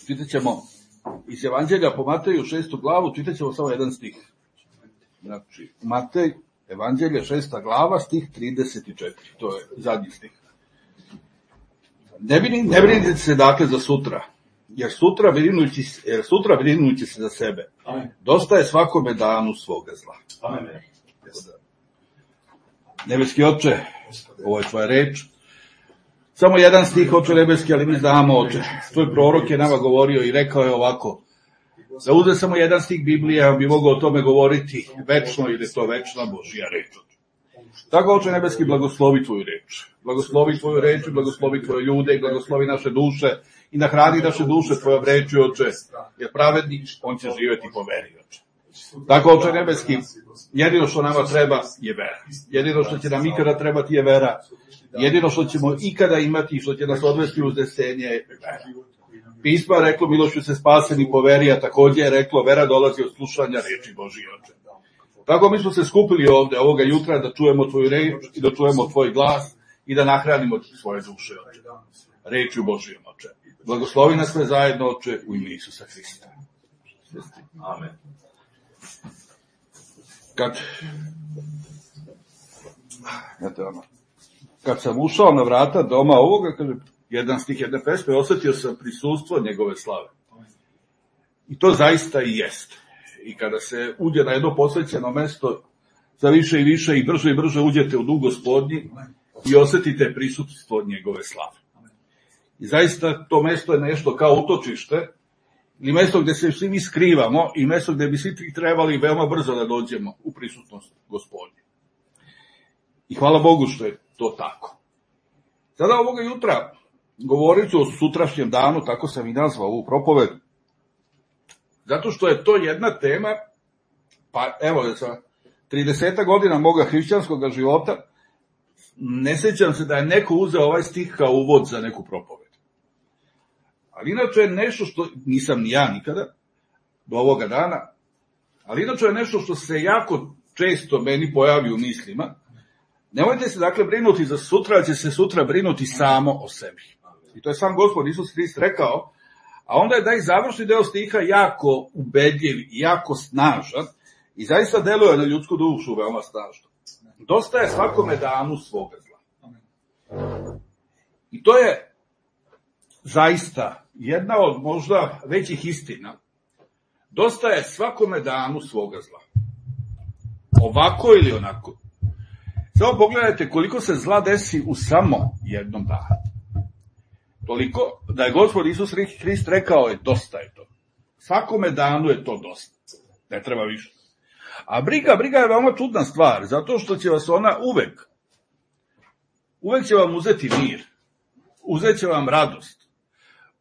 Čitat ćemo iz Evanđelja po Mateju 6. glavu, čitat ćemo samo jedan stih. Znači, Matej, Evanđelje 6. glava, stih 34. To je zadnji stih. Ne brinite se dakle za sutra, jer sutra brinući se za sebe. Amen. Dosta je svakome danu svoga zla. Amen. Nebeski Oče, ovo je tvoja reč. Samo jedan stih, Oče nebeski, ali mi znamo, Oče. Tvoj prorok je nama govorio i rekao je ovako. Da uzme samo jedan stih Biblije, on bi mogao o tome govoriti večno, ili je to večna Božja reč. Tako, Oče nebeski, blagoslovi tvoju reč. Blagoslovi tvoju reč, blagoslovi tvoje ljude, blagoslovi naše duše i nahrani naše duše tvojom reči, Oče, jer pravednik, on će živjeti po veri, Oče. Tako, Oče nebeski, jedino što nama treba je vera. Jedino što će nam ikada trebati je vera. Jedino što ćemo ikada imati i što će nas odvesti u uznesenje je vera. Pismo je reklo, milošću se spaseni po veri, a također je reklo, vera dolazi od slušanja reči Božije, Oče. Tako mi smo se skupili ovde ovoga jutra da čujemo tvoju reč i da čujemo tvoj glas i da nahranimo svoje duše, Oče. Rečju Božijom, Oče. Blagoslovi nas sve zajedno, Oče, u ime Isusa Hrista. Amen. Kad sam ušao na vrata doma ovoga, kaže, jedan stih jedne pesme, osjetio sam prisustvo njegove slave. I to zaista i jeste. I kada se uđe na jedno posvećeno mesto, za više i više i brže uđete u dug Gospodnji i osjetite prisustvo njegove slave. I zaista to mesto je nešto kao utočište, ili mesto gde se svi mi skrivamo i mesto gde bi svi trebali veoma brzo da dođemo u prisutnost Gospodnje. I hvala Bogu što je to tako. Sada ovoga jutra govorit ću o sutrašnjem danu, tako sam i nazvao ovu propoved, zato što je to jedna tema, pa evo, sa 30 godina moga hrišćanskog života, ne sjećam se da je neko uzeo ovaj stih kao uvod za neku propoved. Ali inače je nešto što, nisam ni ja nikada, do ovoga dana, ali inače je nešto što se jako često meni pojavi u mislima. Nemojte se dakle brinuti za sutra, ali će se sutra brinuti samo o sebi. I to je sam Gospod Isus Hrist rekao, a onda je da i završni deo stiha jako ubedljiv i jako snažan i zaista deluje na ljudsku dušu veoma snažno. Dosta je svakome danu svoga zla. I to je zaista jedna od možda većih istina. Dosta je svakome danu svoga zla. Ovako ili onako. Samo pogledajte koliko se zla desi u samo jednom danu. Toliko da je Gospod Isus Hrist rekao je dosta je to. Svakome danu je to dosta. Ne treba više. A briga je veoma čudna stvar, zato što će vas ona uvek će vam uzeti mir, uzet će vam radost,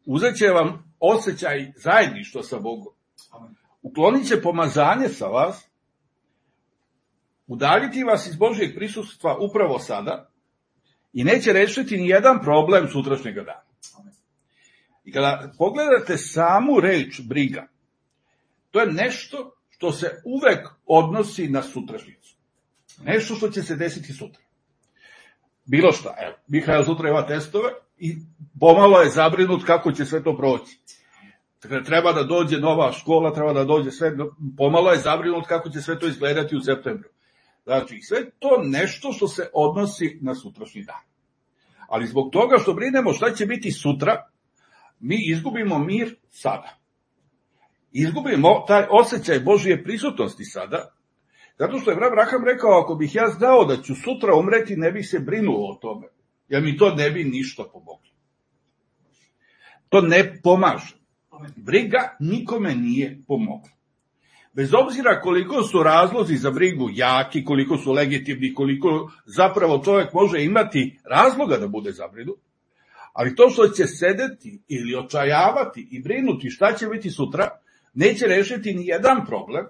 uzet će vam osjećaj zajedništva sa Bogom, uklonit će pomazanje sa vas, udaljiti vas iz Božjeg prisustva upravo sada i neće rešiti ni jedan problem sutrašnjeg dana. I kada pogledate samu reč briga, to je nešto što se uvek odnosi na sutrašnjicu. Nešto što će se desiti sutra. Bilo šta. Evo, Mihael sutra ima testove i pomalo je zabrinut kako će sve to proći. Treba da dođe nova škola, treba da dođe sve, pomalo je zabrinut kako će sve to izgledati u septembru. Znači, sve to nešto što se odnosi na sutrašnji dan. Ali zbog toga što brinemo šta će biti sutra, mi izgubimo mir sada. Izgubimo taj osjećaj Božje prisutnosti sada, zato što je Abraham rekao, ako bih ja znao da ću sutra umreti, ne bih se brinuo o tome, jer mi to ne bi ništa pomoglo. To ne pomaže. Briga nikome nije pomogla. Bez obzira koliko su razlozi za brigu jaki, koliko su legitimni, koliko zapravo čovjek može imati razloga da bude zabrinut, ali to što će sedeti ili očajavati i brinuti šta će biti sutra, neće rešiti ni jedan problem,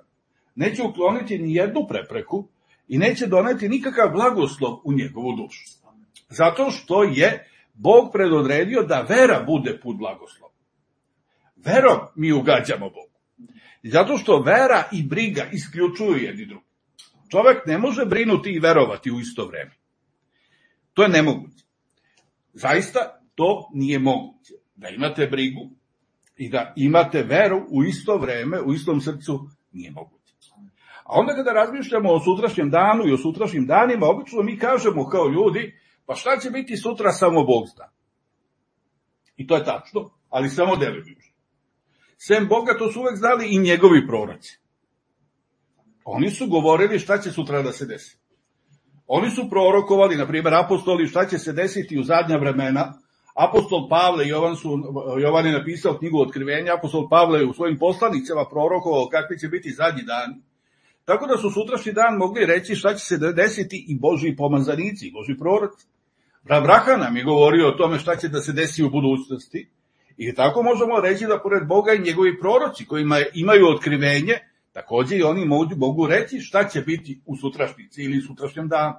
neće ukloniti ni jednu prepreku i neće doneti nikakav blagoslov u njegovu dušu. Zato što je Bog predodredio da vera bude put blagoslova. Verom mi ugađamo Bogu. Zato što vera i briga isključuju jedni drugi. Čovek ne može brinuti i verovati u isto vreme. To je nemoguće. Zaista to nije moguće. Da imate brigu I da imate veru u isto vreme, u istom srcu, nije moguće. A onda kada razmišljamo o sutrašnjem danu i o sutrašnjim danima, obično mi kažemo kao ljudi, pa šta će biti sutra, samo Bog zna. I to je tačno, ali samo delimično. Sem Boga to su uvek znali i njegovi proroci. Oni su govorili šta će sutra da se desi. Oni su prorokovali, na primjer apostoli, šta će se desiti u zadnja vremena. Apostol Pavle, Jovan je napisao knjigu Otkrivenja, apostol Pavle je u svojim poslanicama prorokovao kakvi će biti zadnji dani. Tako da su sutrašnji dan mogli reći šta će se desiti i Božji pomazanici, i Božji proroci. Abraham nam je govorio o tome šta će da se desi u budućnosti. I tako možemo reći da pored Boga i njegovi proroci koji imaju otkrivenje, takođe i oni mogu reći šta će biti u sutrašnjici ili sutrašnjem danu.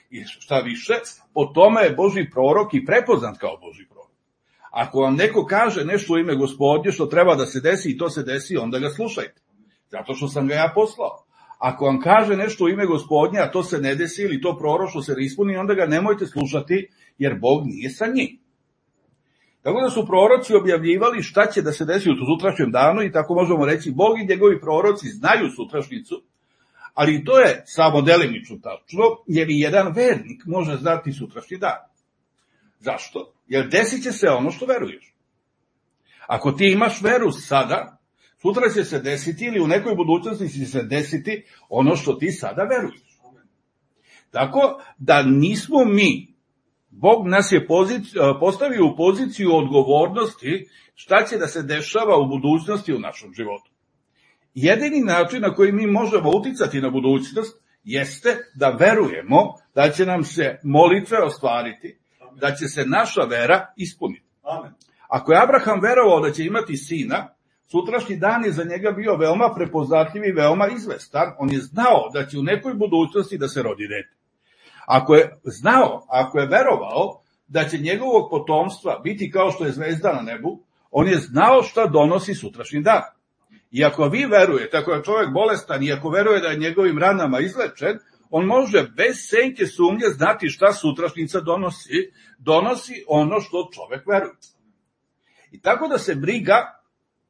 I šta više, po tome je Božji prorok i prepoznat kao Božji prorok. Ako vam neko kaže nešto u ime Gospodnje što treba da se desi i to se desi, onda ga slušajte. Zato što sam ga ja poslao. Ako vam kaže nešto u ime Gospodnje, a to se ne desi ili to proroštvo se ne ispuni, onda ga nemojte slušati, jer Bog nije sa njim. Tako da su proroci objavljivali šta će da se desi u sutrašnjem danu i tako možemo reći, Bog i njegovi proroci znaju sutrašnjicu, ali to je samo delimično tačno, jer i jedan vernik može znati sutrašnji dan. Zašto? Jer desit će se ono što veruješ. Ako ti imaš veru sada, sutra će se desiti ili u nekoj budućnosti će se desiti ono što ti sada veruješ. Tako da nismo mi, Bog nas je postavio u poziciju odgovornosti šta će da se dešava u budućnosti u našem životu. Jedini način na koji mi možemo uticati na budućnost jeste da verujemo da će nam se molitve ostvariti, da će se naša vera ispuniti. Ako je Abraham verovao da će imati sina, sutrašnji dan je za njega bio veoma prepoznatljiv i veoma izvestan. On je znao da će u nekoj budućnosti da se rodi dete. Ako je verovao da će njegovog potomstva biti kao što je zvezda na nebu, on je znao šta donosi sutrašnji dan. I ako vi verujete, ako je čovjek bolestan i ako veruje da je njegovim ranama izlečen, on može bez senke sumnje znati šta sutrašnjica donosi. Donosi ono što čovjek veruje. I tako da se briga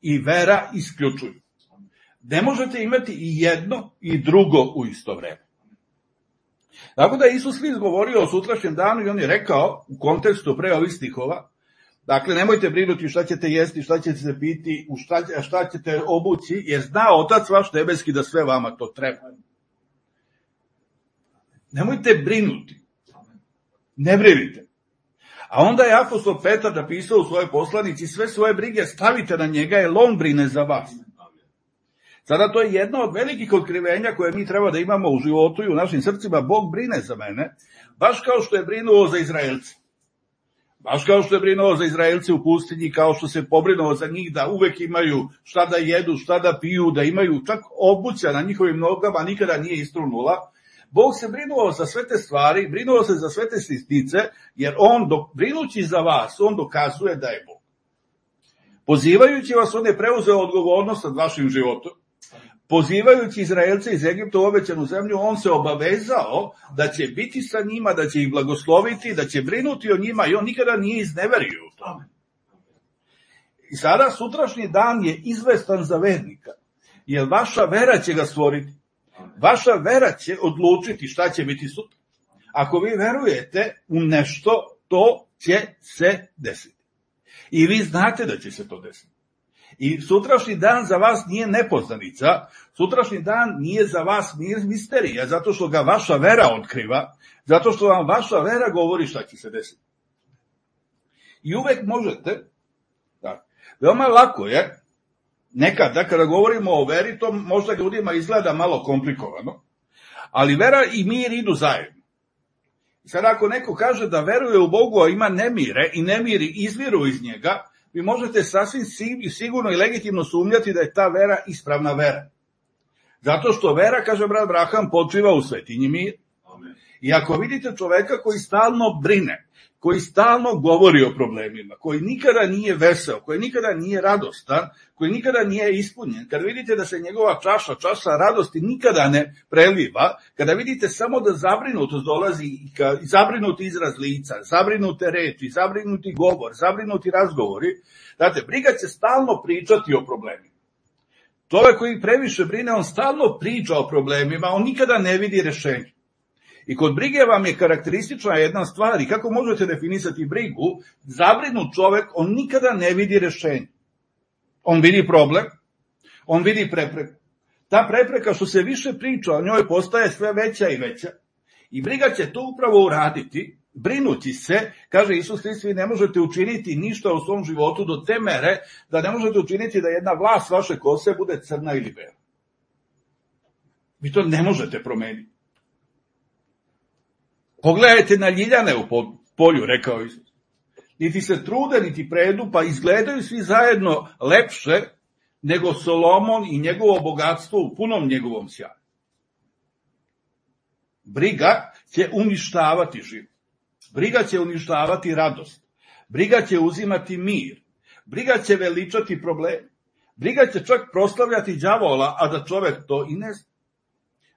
i vera isključuju. Ne možete imati i jedno i drugo u isto vreme. Tako da je Isus Hrist govorio o sutrašnjem danu i on je rekao u kontekstu pre ovih stihova, dakle nemojte brinuti šta ćete jesti, šta ćete se piti, šta ćete obući, jer zna Otac vaš nebeski da sve vama to treba. Nemojte brinuti. Ne brinite. A onda je apostol Petar napisao u svojoj poslanici, sve svoje brige stavite na njega, jer on brine za vas. Sada to je jedno od velikih otkrivenja koje mi treba da imamo u životu i u našim srcima. Bog brine za mene, baš kao što je brinuo za Izraelce. Baš kao što je brinuo za Izraelce u pustinji, kao što se pobrinuo za njih da uvek imaju šta da jedu, šta da piju, da imaju čak obuća na njihovim nogama, nikada nije istrunula. Bog se brinuo za sve te stvari, brinuo se za sve te sitnice, jer on, brinući za vas, on dokazuje da je Bog. Pozivajući vas, on je preuzeo odgovornost nad vašim životom. Pozivajući Izraelce iz Egipta u obećanu zemlju, on se obavezao da će biti sa njima, da će ih blagosloviti, da će brinuti o njima i on nikada nije izneverio u tome. I sada sutrašnji dan je izvestan za vernika, jer vaša vera će ga stvoriti. Vaša vera će odlučiti šta će biti sutra. Ako vi verujete u nešto, to će se desiti. I vi znate da će se to desiti. I sutrašnji dan za vas nije nepoznanica, sutrašnji dan nije za vas misterija, zato što ga vaša vera otkriva, zato što vam vaša vera govori šta će se desiti. I uvek možete, veoma lako je, nekada kada govorimo o veri, to možda ljudima izgleda malo komplikovano, ali vera i mir idu zajedno. Sad ako neko kaže da veruje u Bogu, a ima nemire i nemiri izviru iz njega, vi možete sasvim sigurno i legitimno sumnjati da je ta vera ispravna vera. Zato što vera, kaže brat Abraham, počiva u svetinji mir. I ako vidite čoveka koji stalno brine, koji stalno govori o problemima, koji nikada nije veseo, koji nikada nije radostan, koji nikada nije ispunjen, kada vidite da se njegova čaša radosti nikada ne preliva, kada vidite samo da zabrinutost dolazi, zabrinuti izraz lica, zabrinute reči, zabrinuti govor, zabrinuti razgovori, znate, briga će stalno pričati o problemima. Čovek koji previše brine, on stalno priča o problemima, on nikada ne vidi rešenje. I kod brige vam je karakteristična jedna stvar, i kako možete definisati brigu, zabrinut čovek, on nikada ne vidi rešenje. On vidi problem, on vidi prepreku. Ta prepreka što se više priča o njoj postaje sve veća i veća. I briga će to upravo uraditi, brinući se, kaže Isus Hrist, vi ne možete učiniti ništa u svom životu do te mere da ne možete učiniti da jedna vlas vaše kose bude crna ili bela. Vi to ne možete promeniti. Pogledajte na ljiljane u polju, rekao Isus. Niti se trude, niti predu, pa izgledaju svi zajedno lepše nego Solomon i njegovo bogatstvo u punom njegovom sjaju. Briga će uništavati život. Briga će uništavati radost. Briga će uzimati mir. Briga će veličati probleme. Briga će čak proslavljati đavola, a da čovek to i ne zna.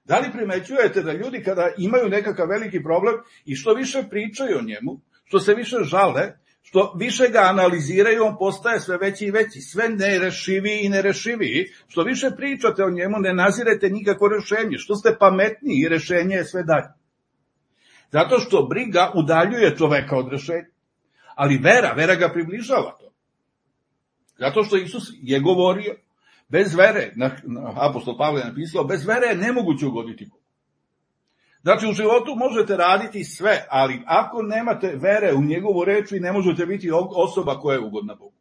Da li primećujete da ljudi kada imaju nekakav veliki problem i što više pričaju o njemu, što se više žale, što više ga analiziraju, on postaje sve veći i veći, sve nerešiviji i nerešiviji, što više pričate o njemu, ne nazirete nikako rešenje, što ste pametniji i rešenje je sve dalje. Zato što briga udaljuje čoveka od rešenja, ali vera ga približava to. Zato što Isus je govorio, bez vere, apostol Pavle je napisao, bez vere je nemoguće ugoditi Bogu. Znači, u životu možete raditi sve, ali ako nemate vere u njegovu reč, vi ne možete biti osoba koja je ugodna Bogu.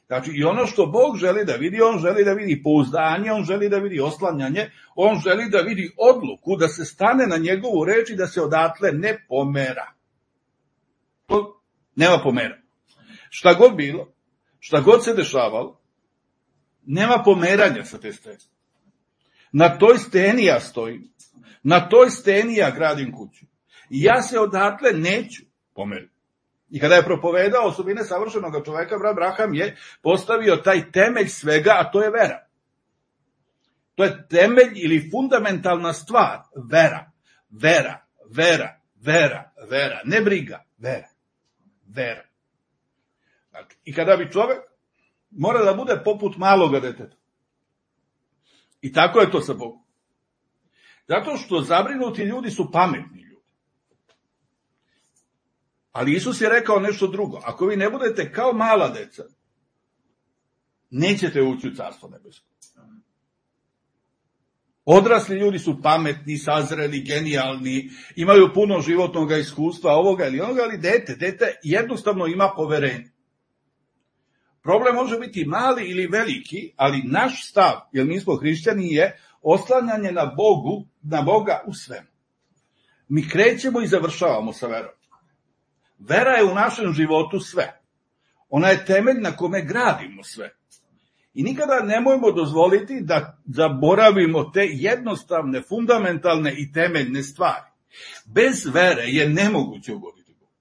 Znači, i ono što Bog želi da vidi, on želi da vidi pouzdanje, on želi da vidi oslanjanje, on želi da vidi odluku, da se stane na njegovu reč i da se odatle ne pomera. To nema pomera. Šta god bilo, šta god se dešavalo, nema pomeranja sa te stene. Na toj steni ja stojim. Na toj steni ja gradim kuću. I ja se odatle neću pomeriti. I kada je propovedao osobine savršenog čoveka, Abraham je postavio taj temelj svega, a to je vera. To je temelj ili fundamentalna stvar. Vera. Vera. Vera. Vera. Vera. Ne briga. Vera. Vera. Znači, i kada bi čovek mora da bude poput maloga deteta. I tako je to sa Bogom. Zato što zabrinuti ljudi su pametni ljudi. Ali Isus je rekao nešto drugo. Ako vi ne budete kao mala deca, nećete ući u carstvo nebesko. Odrasli ljudi su pametni, sazreli, genijalni, imaju puno životnog iskustva, ovoga ili onoga, ali dete jednostavno ima poverenje. Problem može biti mali ili veliki, ali naš stav, jer mi smo hrišćani, je oslanjanje na Boga u svemu. Mi krećemo i završavamo sa verom. Vera je u našem životu sve. Ona je temelj na kome gradimo sve. I nikada nemojmo dozvoliti da zaboravimo te jednostavne, fundamentalne i temeljne stvari. Bez vere je nemoguće ugoditi Bogu.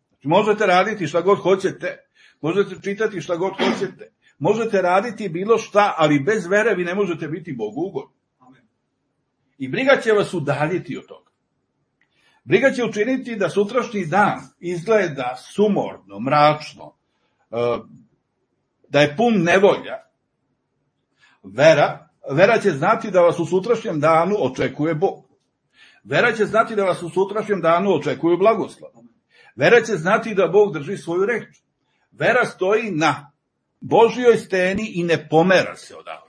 Znači, možete raditi šta god hoćete, možete čitati šta god hoćete, možete raditi bilo šta, ali bez vere vi ne možete biti Bogu ugodni. I briga će vas udaljiti od toga. Briga će učiniti da sutrašnji dan izgleda sumorno, mračno, da je pun nevolja. Vera će znati da vas u sutrašnjem danu očekuje Bog. Vera će znati da vas u sutrašnjem danu očekuju blagoslov. Vera će znati da Bog drži svoju reč. Vera stoji na Božjoj steni i ne pomera se odavde.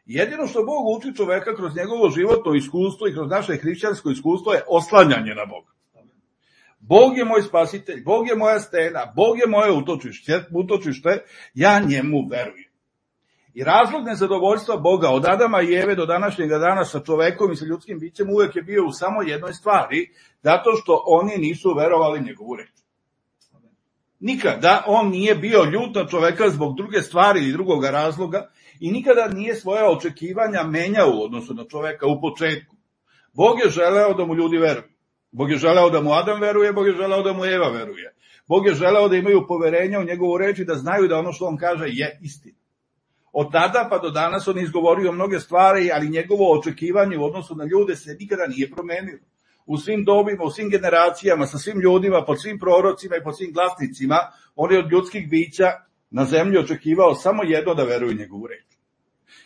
Jedino što Bog uči čoveka kroz njegovo životno iskustvo i kroz naše hrišćansko iskustvo je oslanjanje na Boga. Bog je moj spasitelj, Bog je moja stena, Bog je moje utočište, ja njemu verujem. I razlog nezadovoljstva Boga od Adama i Eve do današnjega dana sa čovekom i sa ljudskim bićem uvek je bio u samo jednoj stvari, zato što oni nisu verovali njegovu reč. Nikada on nije bio ljut na čoveka zbog druge stvari ili drugoga razloga i nikada nije svoja očekivanja menjao u odnosu na čoveka u početku. Bog je želeo da mu ljudi veruju. Bog je želeo da mu Adam veruje, Bog je želeo da mu Eva veruje. Bog je želeo da imaju poverenja u njegovu reč i da znaju da ono što on kaže je istina. Od tada pa do danas on izgovorio mnoge stvari, ali njegovo očekivanje u odnosu na ljude se nikada nije promenilo. U svim dobima, u svim generacijama, sa svim ljudima, pod svim prorocima i pod svim glasnicima, on je od ljudskih bića na zemlji očekivao samo jedno, da veruju njegovu reč.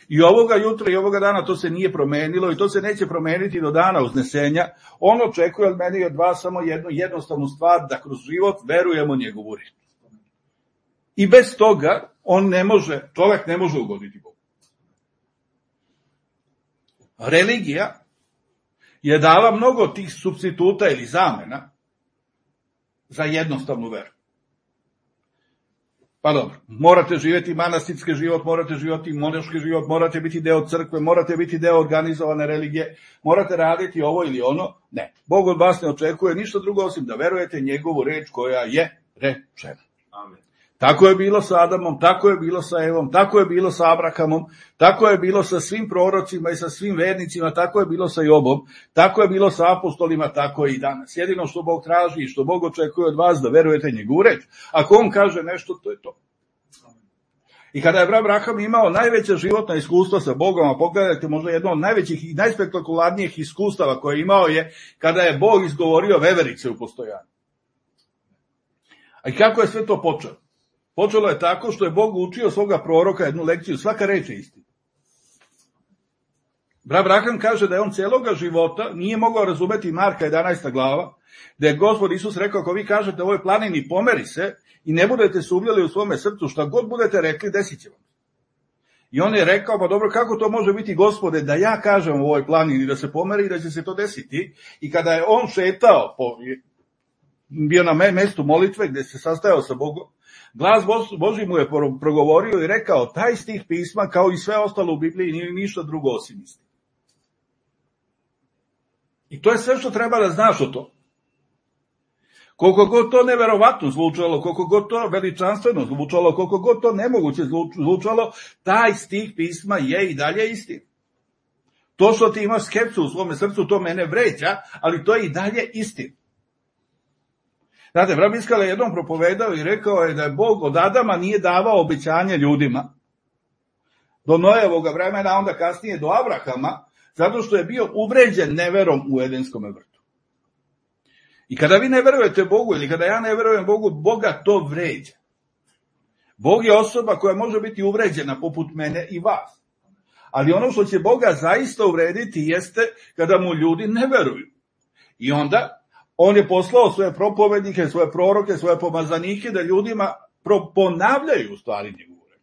I ovoga jutra i ovoga dana to se nije promenilo i to se neće promeniti do dana uznesenja. On očekuje od mene i od vas samo jednu jednostavnu stvar, da kroz život verujemo njegovu reč. I bez toga čovjek ne može ugoditi Bogu. Religija je dala mnogo tih supstituta ili zamena za jednostavnu veru. Pa dobro, morate živjeti manastirski život, morate živjeti monaški život, morate biti deo crkve, morate biti deo organizovane religije, morate raditi ovo ili ono. Ne, Bog od vas ne očekuje ništa drugo osim da verujete njegovu reč koja je rečena. Amen. Tako je bilo sa Adamom, tako je bilo sa Evom, tako je bilo sa Abrahamom, tako je bilo sa svim prorocima i sa svim vernicima, tako je bilo sa Jobom, tako je bilo sa apostolima, tako je i danas. Jedino što Bog traži i što Bog očekuje od vas da verujete njegovu reč. Ako on kaže nešto, to je to. I kada je Abraham imao najveća životna iskustva sa Bogom, a pogledajte možda jedno od najvećih i najspektakularnijih iskustava koje je imao je kada je Bog izgovorio veverice u postojanju. A i kako je sve to počelo? Počelo je tako što je Bog učio svoga proroka jednu lekciju, svaka reč je istina. Abraham kaže da je on cijeloga života nije mogao razumeti Marka 11. glava, da je Gospod Isus rekao, ako vi kažete ovoj planini pomeri se i ne budete sumnjali u svome srcu, šta god budete rekli, desit će vam. I on je rekao, pa dobro, kako to može biti, Gospode, da ja kažem u ovoj planini da se pomeri i da će se to desiti. I kada je on šetao, bio na mestu molitve gdje se sastajao sa Bogom, glas Božji mu je progovorio i rekao, taj stih pisma kao i sve ostalo u Bibliji nije ništa drugo osim istine. I to je sve što treba da znaš o to. Koliko god to neverovatno zvučalo, koliko god to veličanstveno zvučalo, koliko god to nemoguće zvučalo, taj stih pisma je i dalje istina. To što ti imaš skepsu u svome srcu, to mene vređa, ali to je i dalje istina. Znate, brat Biskala je jednom propovedao i rekao je da je Bog od Adama nije davao obećanje ljudima do Nojevoga vremena, onda kasnije do Abrahama, zato što je bio uvređen neverom u Edenskom vrtu. I kada vi ne verujete Bogu ili kada ja ne verujem Bogu, Boga to vređa. Bog je osoba koja može biti uvređena poput mene i vas. Ali ono što će Boga zaista uvrediti jeste kada mu ljudi ne veruju. I onda on je poslao svoje propovednike, svoje proroke, svoje pomazanike da ljudima ponavljaju u stvari njegovu reč.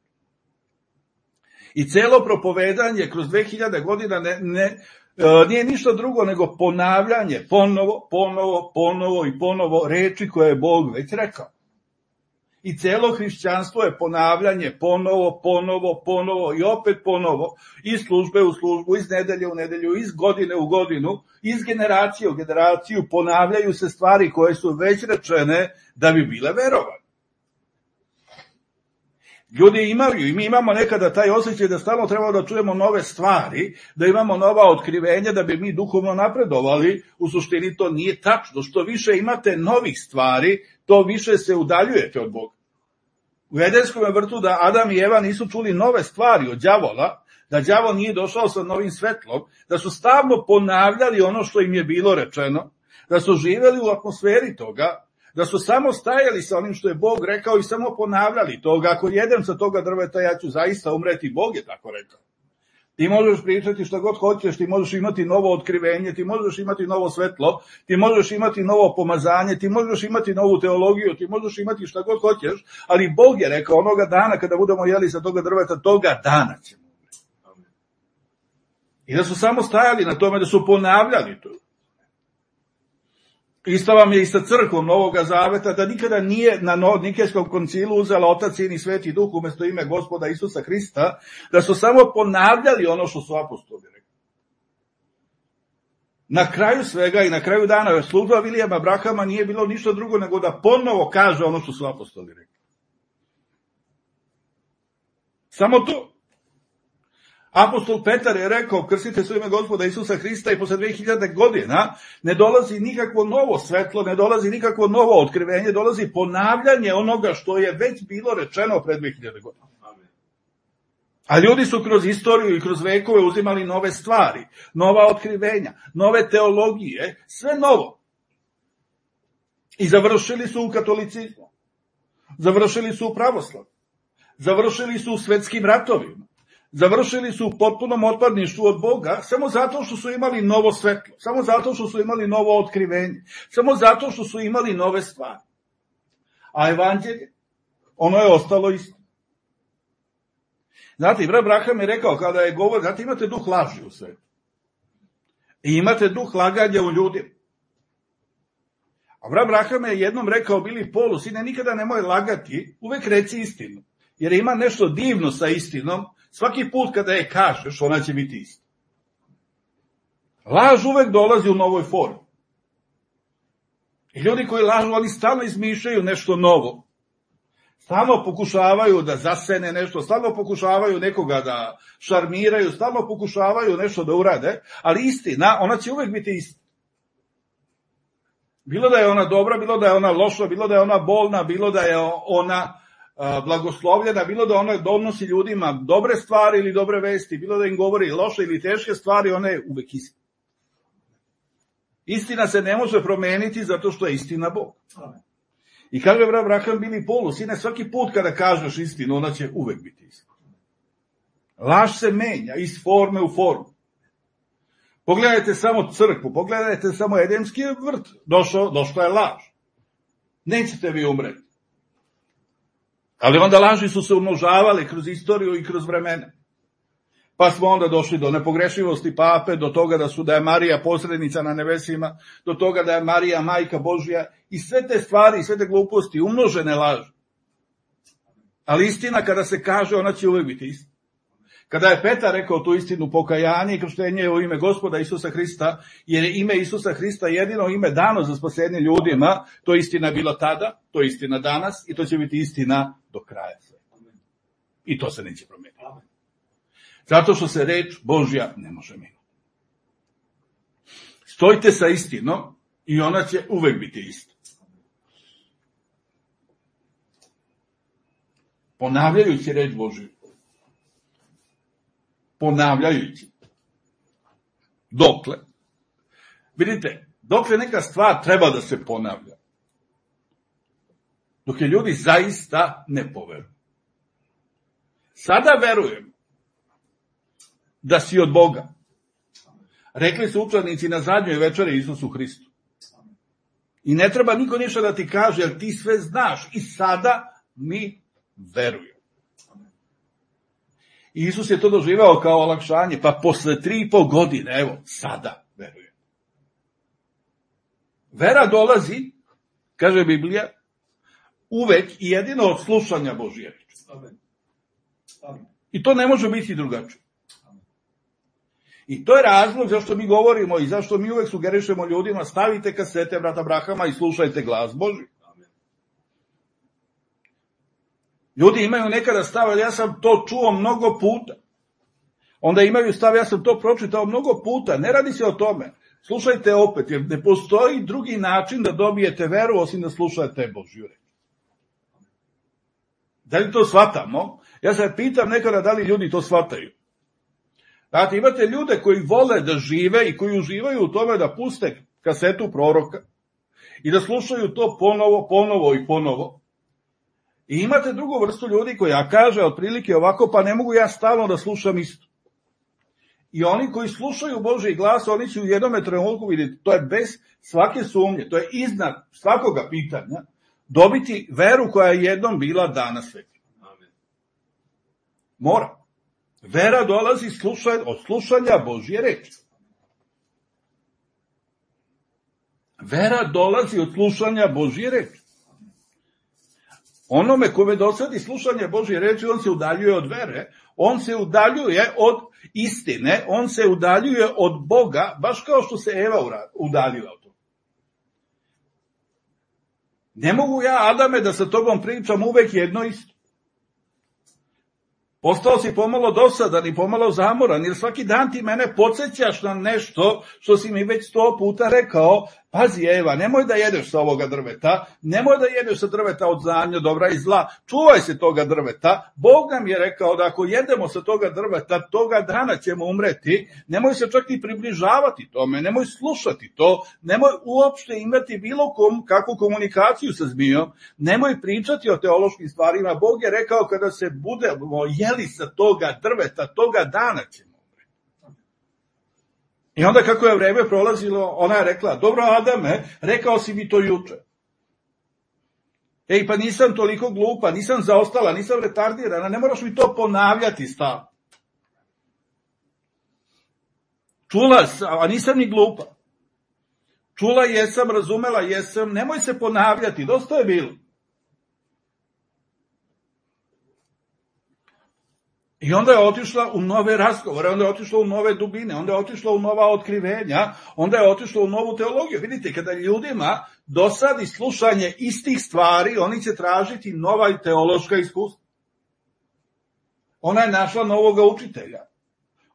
I celo propovedanje kroz 2000 godina nije ništa drugo nego ponavljanje ponovo i ponovo reči koje je Bog već rekao. I celo hrišćanstvo je ponavljanje ponovo i opet ponovo, iz službe u službu, iz nedelje u nedelju, iz godine u godinu, iz generacije u generaciju, ponavljaju se stvari koje su već rečene da bi bile verovane. Ljudi imaju i mi imamo nekada taj osjećaj da stalno treba da čujemo nove stvari, da imamo nova otkrivenja da bi mi duhovno napredovali. U suštini to nije tačno. Što više imate novih stvari, to više se udaljujete od Boga. U Edenskom vrtu da Adam i Eva nisu čuli nove stvari od đavola, da đavo nije došao sa novim svetlom, da su stalno ponavljali ono što im je bilo rečeno, da su živjeli u atmosferi toga, da su samo stajali sa onim što je Bog rekao i samo ponavljali toga. Ako jedem sa toga drveta, ja ću zaista umreti, Bog je tako rekao. Ti možeš pričati što god hoćeš, ti možeš imati novo otkrivenje, ti možeš imati novo svetlo, ti možeš imati novo pomazanje, ti možeš imati novu teologiju, ti možeš imati šta god hoćeš, ali Bog je rekao onoga dana kada budemo jeli sa toga drveta, toga dana ćemo umreti. I da su samo stajali na tome, da su ponavljali to. Isto vam je i sa crkvom Novoga Zaveta, da nikada nije na Nikejskom koncilu uzela Otac, Sin i Sveti Duh umjesto ime Gospoda Isusa Hrista, da su samo ponavljali ono što su apostoli rekli. Na kraju svega i na kraju dana služba Vilijama Abrahama nije bilo ništa drugo nego da ponovo kaže ono što su apostoli rekli. Samo to. Apostol Petar je rekao, krstite se u ime Gospoda Isusa Hrista i posle 2000 godina ne dolazi nikakvo novo svetlo, ne dolazi nikakvo novo otkrivenje, dolazi ponavljanje onoga što je već bilo rečeno pre 2000 godina. A ljudi su kroz istoriju i kroz vekove uzimali nove stvari, nova otkrivenja, nove teologije, sve novo. I završili su u katolicizmu, završili su u pravoslavu, završili su u svetskim ratovima, završili su u potpunom otpadništvu od Boga, samo zato što su imali novo svetlo, samo zato što su imali novo otkrivenje, samo zato što su imali nove stvari. A evanđelje, ono je ostalo isto. Znate, brat Braham je rekao, kada je govor, znate, imate duh laži u svetu. I imate duh laganja u ljudima. A brat Braham je jednom rekao Bili Polu, sine, nikada nemoj lagati, uvek reci istinu. Jer ima nešto divno sa istinom, svaki put kada je kažeš, ona će biti istina. Laž uvek dolazi u novoj formi. I ljudi koji lažu, oni stalno izmišljaju nešto novo. Stalno pokušavaju da zasene nešto, stalno pokušavaju nekoga da šarmiraju, stalno pokušavaju nešto da urade, ali istina, ona će uvek biti istina. Bilo da je ona dobra, bilo da je ona loša, bilo da je ona bolna, bilo da je ona blagoslovljena, bilo da ona donosi ljudima dobre stvari ili dobre vesti, bilo da im govori loše ili teške stvari, ona je uvek istina. Istina se ne može promeniti zato što je istina Bog. I kaže brat Braham Bili Polu, sine, svaki put kada kažeš istinu, ona će uvek biti istina. Laž se menja iz forme u formu. Pogledajte samo crkvu, pogledajte samo Edemski vrt, došla je laž. Nećete vi umreti. Ali onda laži su se umnožavali kroz istoriju i kroz vremena. Pa smo onda došli do nepogrešivosti pape, do toga da je Marija posrednica na nebesima, do toga da je Marija majka Božja i sve te stvari, sve te gluposti, umnožene laži. Ali istina kada se kaže, ona će uvek biti istina. Kada je Petar rekao tu istinu, pokajanje i krštenje u ime Gospoda Isusa Hrista, jer je ime Isusa Hrista jedino ime dano za spasenje ljudima, to je istina bila tada, to je istina danas i to će biti istina do kraja. I to se neće promeniti. Zato što se reč Božja ne može menjati. Stojite sa istinom i ona će uvek biti ista. Ponavljajući reč Božju. Ponavljajući. Dokle? Vidite, dokle neka stvar treba da se ponavlja. Dok je ljudi zaista ne poveruju. Sada verujem da si od Boga. Rekli su učenici na zadnjoj večeri Isusu Hristu. I ne treba niko ništa da ti kaže, jer ti sve znaš. I sada mi verujemo. I Isus je to doživao kao olakšanje, pa posle 3,5 godine, evo, sada verujem. Vera dolazi, kaže Biblija, uvek i jedino od slušanja Božje reči. I to ne može biti drugačije. I to je razlog zašto mi govorimo i zašto mi uvek sugerišemo ljudima, stavite kasete brata Brahama i slušajte glas Božji. Ljudi imaju nekada stav, ja sam to čuo mnogo puta. Onda imaju stav, ja sam to pročitao mnogo puta. Ne radi se o tome. Slušajte opet, jer ne postoji drugi način da dobijete veru, osim da slušate Božju reč. Da li to shvatamo? Ja se pitam nekada da li ljudi to shvataju. Znate, imate ljude koji vole da žive i koji uživaju u tome da puste kasetu proroka i da slušaju to ponovo i ponovo. I imate drugu vrstu ljudi koja kaže otprilike ovako, pa ne mogu ja stalno da slušam isto. I oni koji slušaju Božji glas, oni će u jednom trenutku vidjeti, to je bez svake sumnje, to je iznad svakoga pitanja, dobiti veru koja je jednom bila dana svetima. Mora. Vera dolazi od slušanja Božje reči. Vera dolazi od slušanja Božje reči. Onome kome dosadi slušanje Božje reči, on se udaljuje od vere, on se udaljuje od istine, on se udaljuje od Boga, baš kao što se Eva udaljila od toga. Ne mogu ja, Adame, da sa tobom pričam uvek jedno isto. Postao si pomalo dosadan i pomalo zamoran, jer svaki dan ti mene podsjećaš na nešto što si mi već 100 puta rekao. Pazi, Eva, nemoj da jedeš sa ovoga drveta, nemoj da jedeš sa drveta od znanja dobra i zla, čuvaj se toga drveta. Bog nam je rekao da ako jedemo sa toga drveta, toga dana ćemo umreti. Nemoj se čak ni približavati tome, nemoj slušati to, nemoj uopšte imati bilo kakvu komunikaciju sa zmijom, nemoj pričati o teološkim stvarima. Bog je rekao kada se budemo jeli sa toga drveta, toga dana ćemo. I onda kako je vreme prolazilo, ona je rekla, dobro Adame, rekao si mi to juče. Ej, pa nisam toliko glupa, nisam zaostala, nisam retardirana, ne moraš mi to ponavljati stalno. Čula sam, a nisam ni glupa. Čula jesam, razumela jesam, nemoj se ponavljati, dosta je bilo. I onda je otišla u nove razgovore, onda je otišla u nove dubine, onda je otišla u nova otkrivenja, onda je otišla u novu teologiju. Vidite, kada ljudima dosadi slušanje istih stvari, oni će tražiti nova teološka iskustva. Ona je našla novoga učitelja,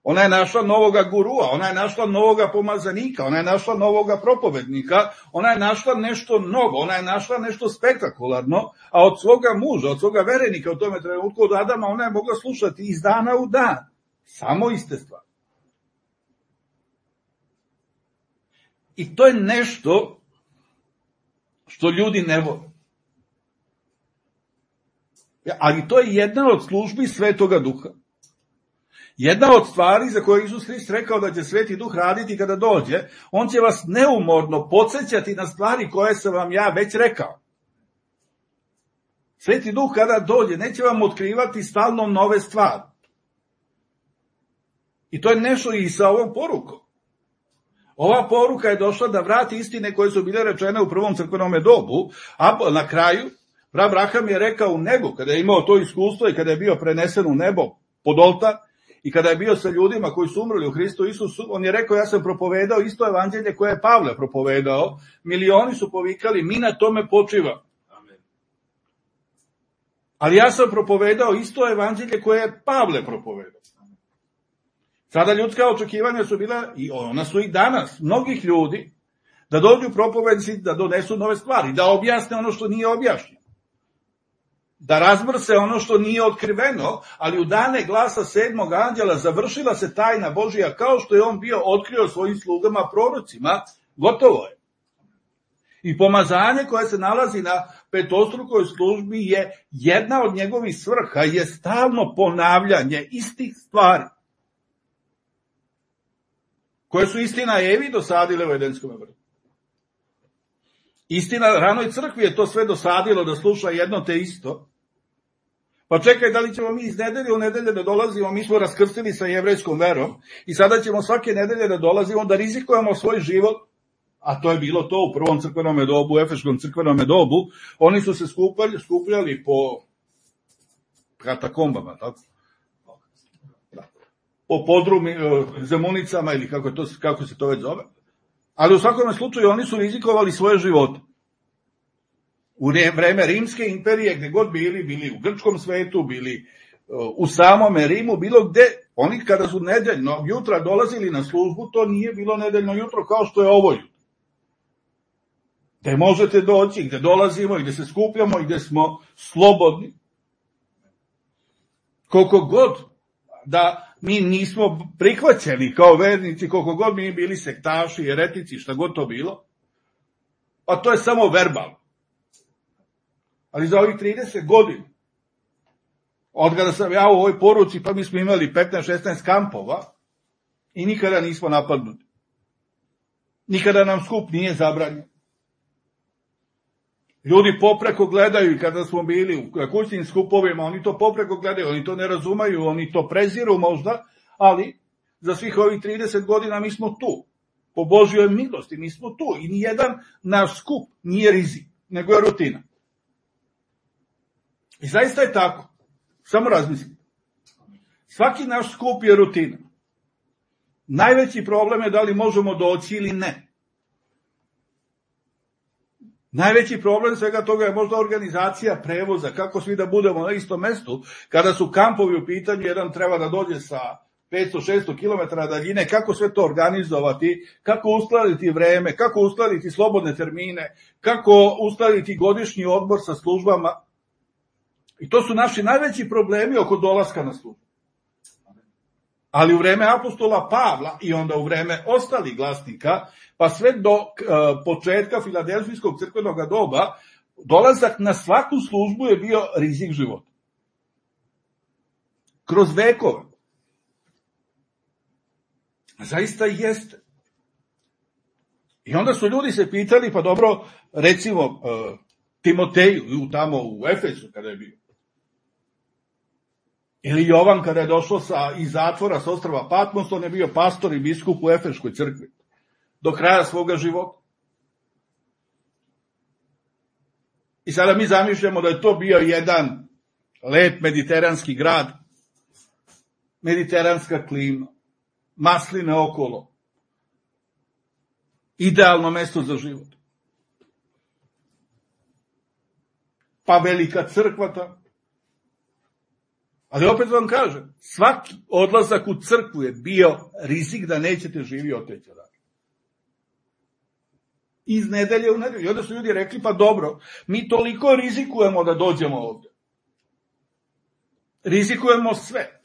ona je našla novoga gurua, ona je našla novoga pomazanika, ona je našla novoga propovednika, ona je našla nešto novo, ona je našla nešto spektakularno, a od svoga muža, od svoga verenika u tome trenutku, od Adama, ona je mogla slušati iz dana u dan. Samo iste stvari. I to je nešto što ljudi ne vole. Ali to je jedna od službi Svetoga Duha. Jedna od stvari za koje Isus Hrist rekao da će Sveti Duh raditi kada dođe, on će vas neumorno podsjećati na stvari koje sam vam ja već rekao. Sveti Duh kada dođe neće vam otkrivati stalno nove stvari. I to je nešto i sa ovom porukom. Ova poruka je došla da vrati istine koje su bile rečene u prvom crkvenom dobu, a na kraju Abraham je rekao u nebu, kada je imao to iskustvo i kada je bio prenesen u nebo pod oltar, i kada je bio sa ljudima koji su umrli u Hristu Isusu, on je rekao, ja sam propovedao isto evanđelje koje je Pavle propovedao, milioni su povikali, mi na tome počivamo. Ali ja sam propovedao isto evanđelje koje je Pavle propovedao. Sada ljudska očekivanja su bila, i ona su i danas, mnogih ljudi, da dođu propovednici, da donesu nove stvari, da objasne ono što nije objašnjeno, da razmrse ono što nije otkriveno, ali u dane glasa 7. anđela završila se tajna Božija, kao što je on bio otkrio svojim slugama prorocima, gotovo je. I pomazanje koje se nalazi na petostrukoj službi je jedna od njegovih svrha, je stalno ponavljanje istih stvari, koje su istina Evi dosadile u Edenskom vrtu. Istina, ranoj crkvi je to sve dosadilo da sluša jedno te isto. Pa čekaj, da li ćemo mi iz nedelje u nedelje da dolazimo, mi smo raskrstili sa jevrejskom verom i sada ćemo svake nedelje da dolazimo, da rizikujemo svoj život, a to je bilo to u prvom crkvenom dobu, u Efeškom crkvenom dobu, oni su se skupljali po katakombama, tako? Po podrumi, zemunicama ili kako se to već zove. Ali u svakom slučaju oni su rizikovali svoje živote. U vreme Rimske imperije, gde god bili u grčkom svetu, bili u samome Rimu, bilo gde, oni kada su nedeljno jutra dolazili na službu, to nije bilo nedeljno jutro kao što je ovo jutro. Gde možete doći, gde dolazimo, gde se skupljamo, gde smo slobodni. Koliko god da mi nismo prihvaćeni kao vernici, koliko god mi bili sektaši, jeretici, šta god to bilo, pa to je samo verbalno. Ali za ovih 30 godina, od kada sam ja u ovoj poruci, pa mi smo imali 15-16 kampova i nikada nismo napadnuti. Nikada nam skup nije zabranjen. Ljudi popreko gledaju i kada smo bili u kućnim skupovima, oni to popreko gledaju, oni to ne razumeju, oni to preziru možda, ali za svih ovih 30 godina mi smo tu. Po Božjoj milosti mi smo tu i nijedan naš skup nije rizik, nego je rutina. I zaista je tako. Samo razmislite. Svaki naš skup je rutina. Najveći problem je da li možemo doći ili ne. Najveći problem svega toga je možda organizacija prevoza, kako svi da budemo na istom mestu, kada su kampovi u pitanju, jedan treba da dođe sa 500-600 km daljine, kako sve to organizovati, kako uskladiti vreme, kako uskladiti slobodne termine, kako uskladiti godišnji odmor sa službama. I to su naši najveći problemi oko dolaska na službu. Ali u vreme apostola Pavla i onda u vreme ostalih glasnika, pa sve do početka Filadelfijskog crkvenog doba, dolazak na svaku službu je bio rizik života. Kroz vekove. Zaista jeste. I onda su ljudi se pitali, pa dobro, recimo Timoteju, tamo u Efesu kada je bio. Ili Jovan kada je došao iz zatvora sa ostrva Patmos, on je bio pastor i biskup u Efeškoj crkvi. Do kraja svoga života. I sada mi zamišljamo da je to bio jedan lep mediteranski grad, mediteranska klima, masline okolo, idealno mesto za život. Pa velika crkva tamo. Ali opet vam kažem, svaki odlazak u crkvu je bio rizik da nećete živi oteći odavde. Iz nedelje u nedelju. I onda su ljudi rekli, pa dobro, mi toliko rizikujemo da dođemo ovde. Rizikujemo sve.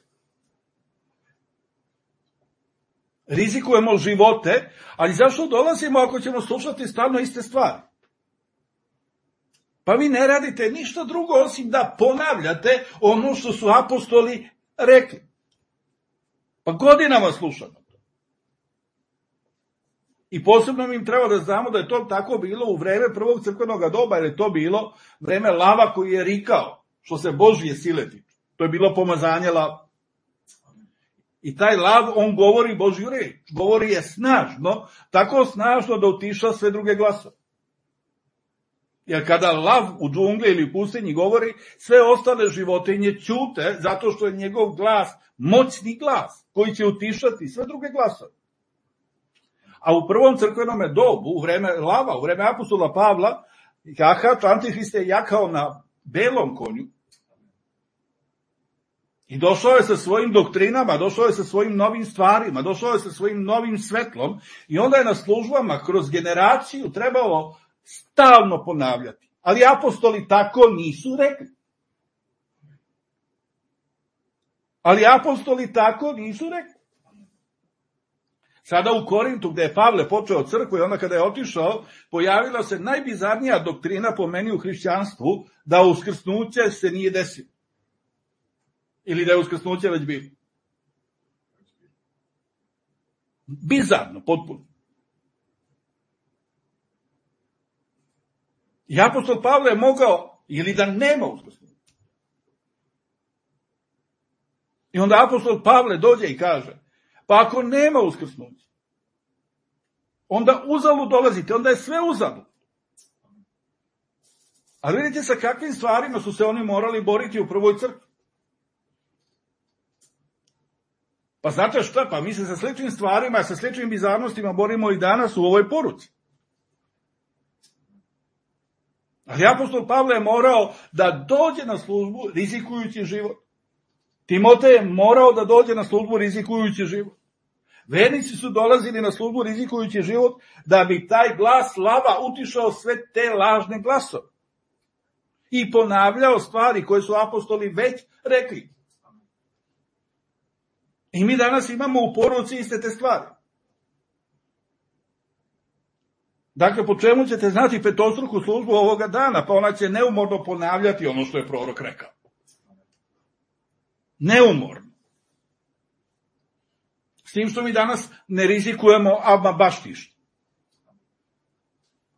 Rizikujemo živote, ali zašto dolazimo ako ćemo slušati stalno iste stvari? Pa vi ne radite ništa drugo osim da ponavljate ono što su apostoli rekli. Pa godinama slušamo to. I posebno im treba da znamo da je to tako bilo u vreme prvog crkvenog doba, jer je to bilo vreme lava koji je rikao, što se Božje sile tiče. To je bilo pomazanje lava. I taj lav, on govori Božju reč. Govori je snažno, tako snažno da utiša sve druge glasove. Jer kada lav u džungli ili u pustinji govori, sve ostale životinje ćute, zato što je njegov glas moćni glas, koji će utišati sve druge glasove. A u prvom crkvenom dobu, u vreme lava, u vreme apostola Pavla, jahač Antihrist je jakao na belom konju i došao je sa svojim doktrinama, došao je sa svojim novim stvarima, došao je sa svojim novim svetlom i onda je na službama kroz generaciju trebalo stalno ponavljati. Ali apostoli tako nisu rekli. Sada u Korintu, gde je Pavle počeo crkvu i onda kada je otišao, pojavila se najbizarnija doktrina po meni u hrišćanstvu, da uskrsnuće se nije desilo. Ili da je uskrsnuće već bilo. Bizarno, potpuno. I apostol Pavle je mogao, ili da nema uskrsnuća. I onda apostol Pavle dođe i kaže, pa ako nema uskrsnuća, onda uzalud dolazite, onda je sve uzalud. Ali vidite sa kakvim stvarima su se oni morali boriti u prvoj crkvi. Pa znate šta, pa mi se sa sličnim stvarima, sa sličnim bizarnostima borimo i danas u ovoj poruci. Ali apostol Pavle je morao da dođe na službu rizikujući život. Timotej je morao da dođe na službu rizikujući život. Vernici su dolazili na službu rizikujući život da bi taj glas lava utišao sve te lažne glasove. I ponavljao stvari koje su apostoli već rekli. I mi danas imamo u poruci iste te stvari. Dakle, po čemu ćete znati petostruku službu ovoga dana? Pa ona će neumorno ponavljati ono što je prorok rekao. Neumorno. S tim što mi danas ne rizikujemo, ama baš ništa.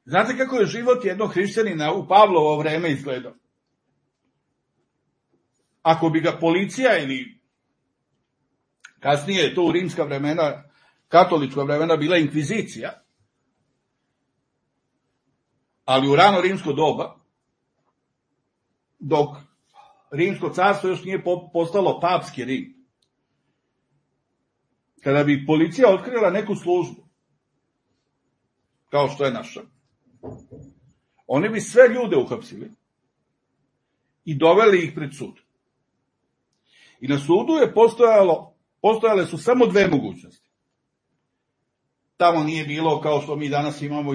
Znate kako je život jednog hrišćanina u Pavlovo vreme izgledao? Ako bi ga policija ili kasnije je to u rimska vremena, katolička vremena bila inkvizicija, ali u rano rimsko doba, dok rimsko carstvo još nije postalo papski Rim, kada bi policija otkrila neku službu, kao što je naša, oni bi sve ljude uhapsili i doveli ih pred sud. I na sudu je postojale su samo dve mogućnosti. Tamo nije bilo kao što mi danas imamo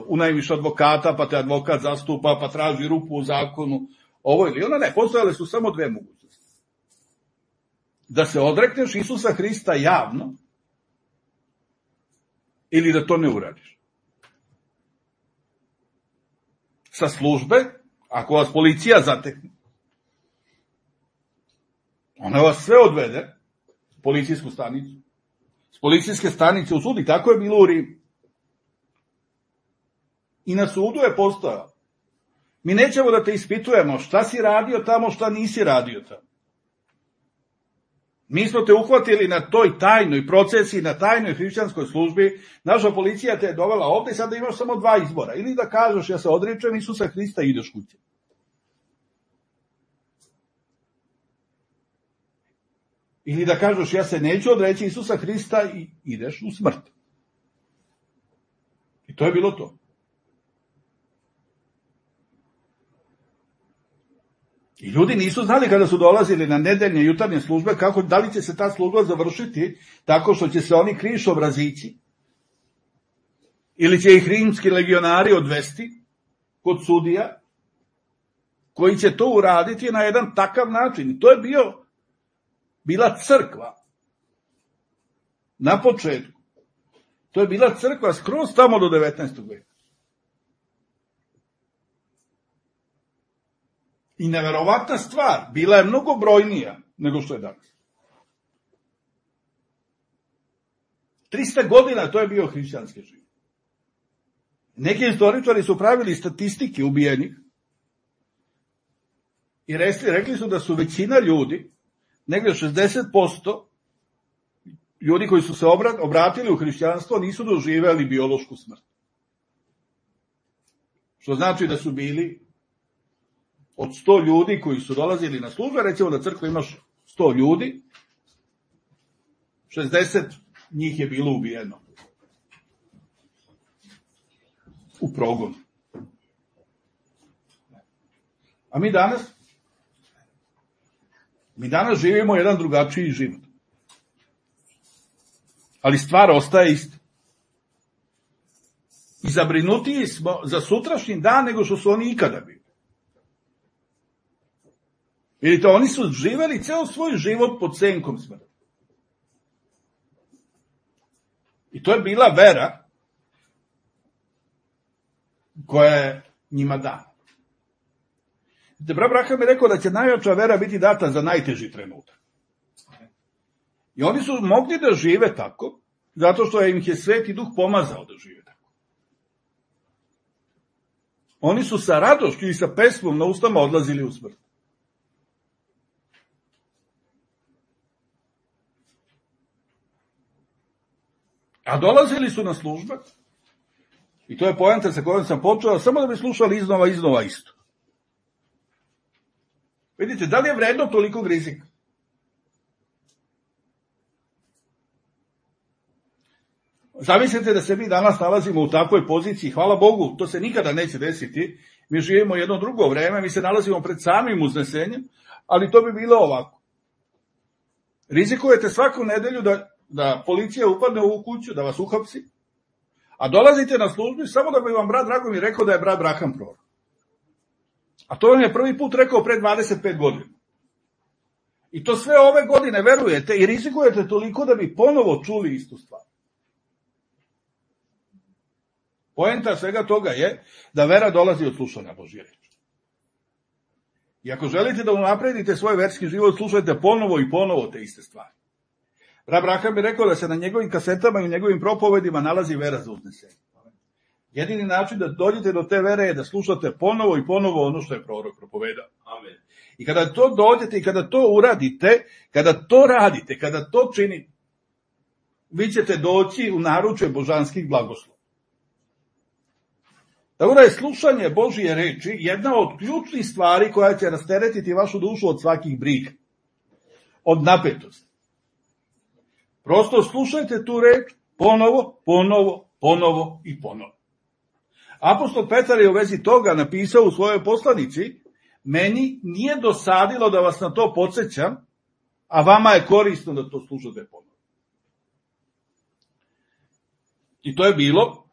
unajmiš advokata, pa te advokat zastupa, pa traži rupu u zakonu, ovo ili ono, ne, postojale su samo dve mogućnosti. Da se odrekneš Isusa Hrista javno, ili da to ne uradiš. Sa službe, ako vas policija zatekne, ona vas sve odvede, policijsku stanicu, s policijske stanice u sud, i tako je bilo u Rimu. I na sudu je postojao. Mi nećemo da te ispitujemo šta si radio tamo, šta nisi radio tamo. Mi smo te uhvatili na toj tajnoj procesi, na tajnoj hrišćanskoj službi, naša policija te je dovela ovde i sada imaš samo dva izbora. Ili da kažeš ja se odričem Isusa Hrista i ideš kuće. Ili da kažeš ja se neću odreći Isusa Hrista i ideš u smrt. I to je bilo to. I ljudi nisu znali kada su dolazili na nedeljne jutarnje službe da li će se ta služba završiti tako što će se oni krišobrazići ili će ih rimski legionari odvesti kod sudija koji će to uraditi na jedan takav način. I to je bila crkva na početku. To je bila crkva skroz tamo do 19. veka. I neverovatna stvar, bila je mnogo brojnija nego što je danas. 300 godina to je bio hrišćanski život. Neki istoričari su pravili statistike ubijenih i rekli su da su većina ljudi, negdje 60% ljudi koji su se obratili u hrišćanstvo nisu doživeli biološku smrt. Što znači da su bili od 100 ljudi koji su dolazili na službe, recimo da crkva imaš 100 ljudi, 60 njih je bilo ubijeno u progonu. A mi danas živimo jedan drugačiji život. Ali stvar ostaje ista. I zabrinutiji smo za sutrašnji dan nego što su oni ikada bili. Vidite, oni su živeli ceo svoj život pod senkom smrti. I to je bila vera koja je njima dana. Brat Branham je rekao da će najjača vera biti data za najteži trenutak. I oni su mogli da žive tako, zato što im je Sveti Duh pomazao da žive tako. Oni su sa radošću i sa pesmom na ustama odlazili u smrt. A dolazili su na službe, i to je poenta sa kojom sam počeo, samo da bi slušali iznova isto. Vidite, da li je vredno tolikog rizika? Zamislite da se mi danas nalazimo u takvoj poziciji, hvala Bogu, to se nikada neće desiti, mi živimo jedno drugo vreme, mi se nalazimo pred samim uznesenjem, ali to bi bilo ovako. Rizikujete svaku nedelju da policija upadne u ovu kuću, da vas uhapsi, a dolazite na službu samo da bi vam brat Dragomir rekao da je brat Branham prorok. A to vam je prvi put rekao pre 25 godina. I to sve ove godine verujete i rizikujete toliko da bi ponovo čuli istu stvar. Poenta svega toga je da vera dolazi od slušanja Božje reči. I ako želite da unapredite svoj verski život, slušajte ponovo i ponovo te iste stvari. Brat Branham je rekao da se na njegovim kasetama i njegovim propovedima nalazi vera za uznesenje. Jedini način da dođete do te vere je da slušate ponovo i ponovo ono što je prorok propovedao. Amen. I kada to dođete i kada to uradite, kada to radite, kada to činite, vi ćete doći u naručje božanskih blagoslova. Tako da je slušanje Božje reči jedna od ključnih stvari koja će rasteretiti vašu dušu od svakih briga, od napetosti. Prosto slušajte tu reč ponovo i ponovo. Apostol Petar je u vezi toga napisao u svojoj poslanici: meni nije dosadilo da vas na to podsjećam, a vama je korisno da to slušate ponovno. I to je bilo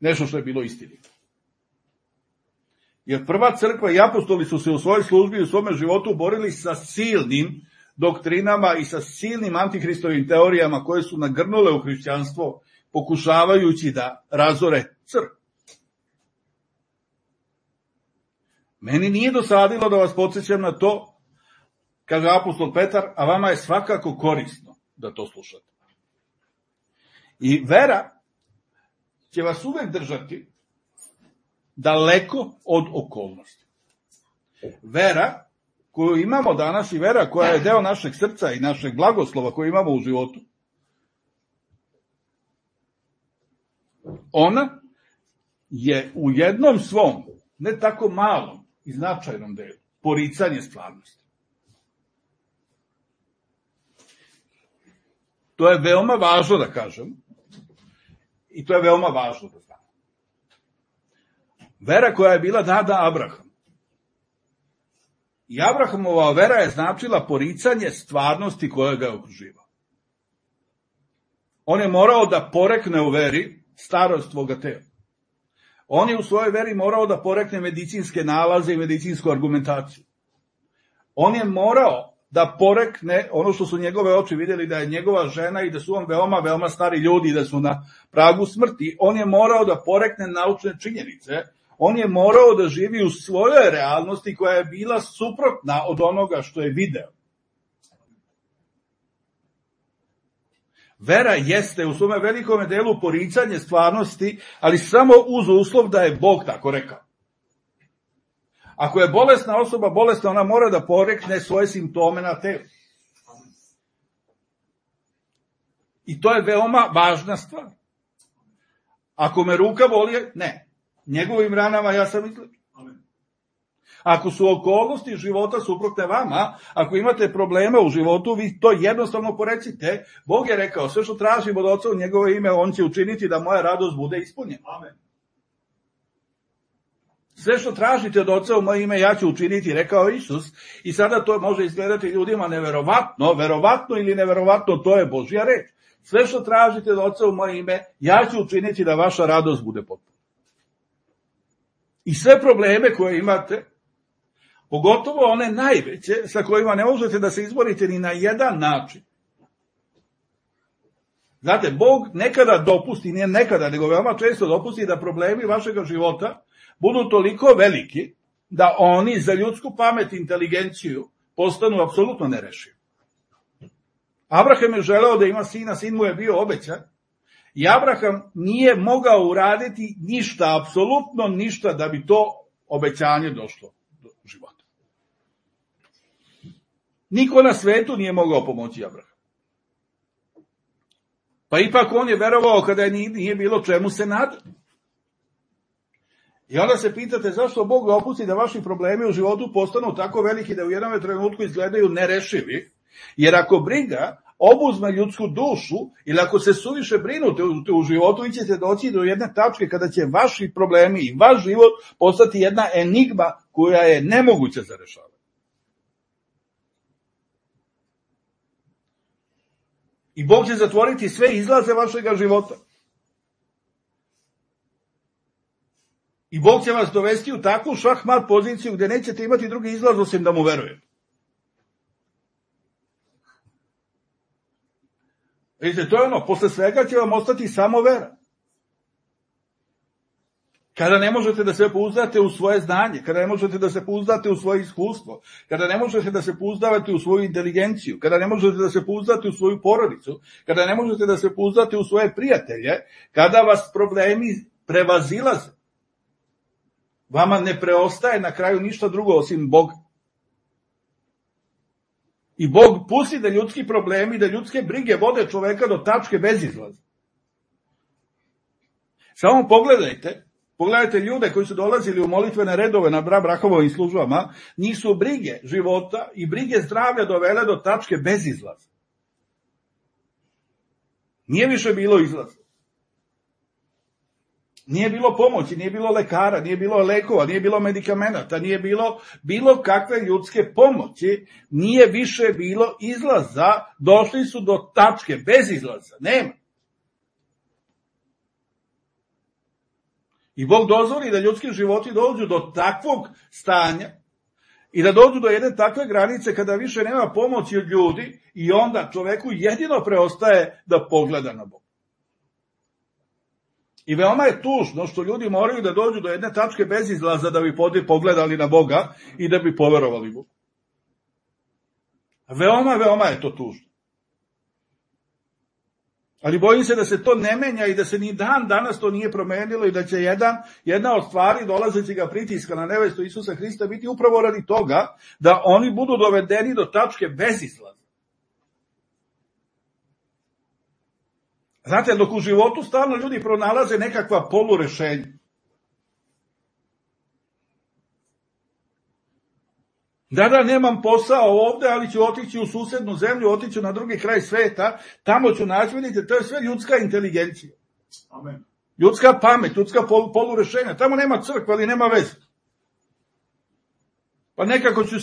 nešto što je bilo istinito. Jer prva crkva i apostoli su se u svojoj službi i u svome životu borili sa silnim doktrinama i sa silnim antihristovim teorijama koje su nagrnule u hrišćanstvo, pokušavajući da razore crkvu. Meni nije dosadilo da vas podsjećam na to, kaže apostol Petar, a vama je svakako korisno da to slušate. I vera će vas uvek držati daleko od okolnosti. Vera koju imamo danas i vera koja je deo našeg srca i našeg blagoslova koji imamo u životu, ona je u jednom svom, ne tako malom i značajnom delu, poricanje stvarnosti. To je veoma važno da kažem i to je veoma važno da znam. Vera koja je bila data Abrahamu. I Abrahamova vera je značila poricanje stvarnosti koja ga je okruživala. On je morao da porekne u veri starost svoga tela. On je u svojoj veri morao da porekne medicinske nalaze i medicinsku argumentaciju. On je morao da porekne ono što su njegove oči vidjeli, da je njegova žena i da su on veoma, veoma stari ljudi i da su na pragu smrti. On je morao da porekne naučne činjenice. On je morao da živi u svojoj realnosti koja je bila suprotna od onoga što je video. Vera jeste u svome velikome delu poricanje stvarnosti, ali samo uz uslov da je Bog tako rekao. Ako je bolesna osoba bolesna, ona mora da porekne svoje simptome na telu. I to je veoma važna stvar. Ako me ruka boli, ne. Njegovim ranama ja sam izlečen. Ako su okolnosti života suprotne vama, ako imate probleme u životu, vi to jednostavno porecite. Bog je rekao, sve što tražim od Oca u njegovo ime, on će učiniti da moja radost bude ispunjena. Amen. Sve što tražite od Oca u moje ime, ja ću učiniti, rekao Isus. I sada to može izgledati ljudima neverovatno, verovatno ili neverovatno, to je Božja reč. Sve što tražite od Oca u moje ime, ja ću učiniti da vaša radost bude potpuna. I sve probleme koje imate, pogotovo one najveće, sa kojima ne možete da se izborite ni na jedan način. Znate, Bog nekada dopusti, nije nekada, nego veoma često dopusti da problemi vašeg života budu toliko veliki da oni za ljudsku pamet i inteligenciju postanu apsolutno nerešivi. Abraham je želeo da ima sina, sin mu je bio obećan, i Abraham nije mogao uraditi ništa, apsolutno ništa, da bi to obećanje došlo do života. Niko na svetu nije mogao pomoći Abraham. Pa ipak on je verovao kada nije bilo čemu se nadati. I onda se pitate zašto Bog dopusti da vaši problemi u životu postanu tako veliki da u jednom trenutku izgledaju nerešivi, jer ako briga obuzme ljudsku dušu ili ako se suviše brinute u životu, vi ćete doći do jedne tačke kada će vaši problemi i vaš život postati jedna enigma koja je nemoguća za rešavanje. I Bog će zatvoriti sve izlaze vašeg života. I Bog će vas dovesti u takvu šahmat poziciju gde nećete imati drugi izlaz osim da mu verujete. Vidite, to je ono, posle svega će vam ostati samo vera. Kada ne možete da se pouzdate u svoje znanje, kada ne možete da se pouzdate u svoje iskustvo, kada ne možete da se pouzdavate u svoju inteligenciju, kada ne možete da se pouzdate u svoju porodicu, kada ne možete da se pouzdate u svoje prijatelje, kada vas problemi prevazilaze, vama ne preostaje na kraju ništa drugo osim Boga. I Bog pusti da ljudski problemi, da ljudske brige vode čoveka do tačke bez izlaza. Samo pogledajte ljude koji su dolazili u molitvene redove na brahovim službama, njih su brige života i brige zdravlja dovele do tačke bez izlaza. Nije više bilo izlaza. Nije bilo pomoći, nije bilo lekara, nije bilo lekova, nije bilo medikamenata, nije bilo kakve ljudske pomoći, nije više bilo izlaza, došli su do tačke bez izlaza, nema. I Bog dozvoli da ljudski životi dođu do takvog stanja i da dođu do jedne takve granice kada više nema pomoći od ljudi i onda čoveku jedino preostaje da pogleda na Boga. I veoma je tužno što ljudi moraju da dođu do jedne tačke bez izlaza da bi pogledali na Boga i da bi poverovali Bogu. Veoma je to tužno. Ali bojim se da se to ne menja i da se ni dan danas to nije promenilo i da će jedna od stvari dolazeći ga pritiska na nevestu Isusa Hrista biti upravo radi toga da oni budu dovedeni do tačke bez izlaza. Znate, dok u životu stalno ljudi pronalaze nekakva polurešenja. Da, nemam posao ovde, ali ću otići u susednu zemlju, otiću na drugi kraj sveta, tamo ću naći, vidite, to je sve ljudska inteligencija. Amen. Ljudska pamet, ljudska polurešenja. Tamo nema crkva, ali nema veze. Pa nekako ću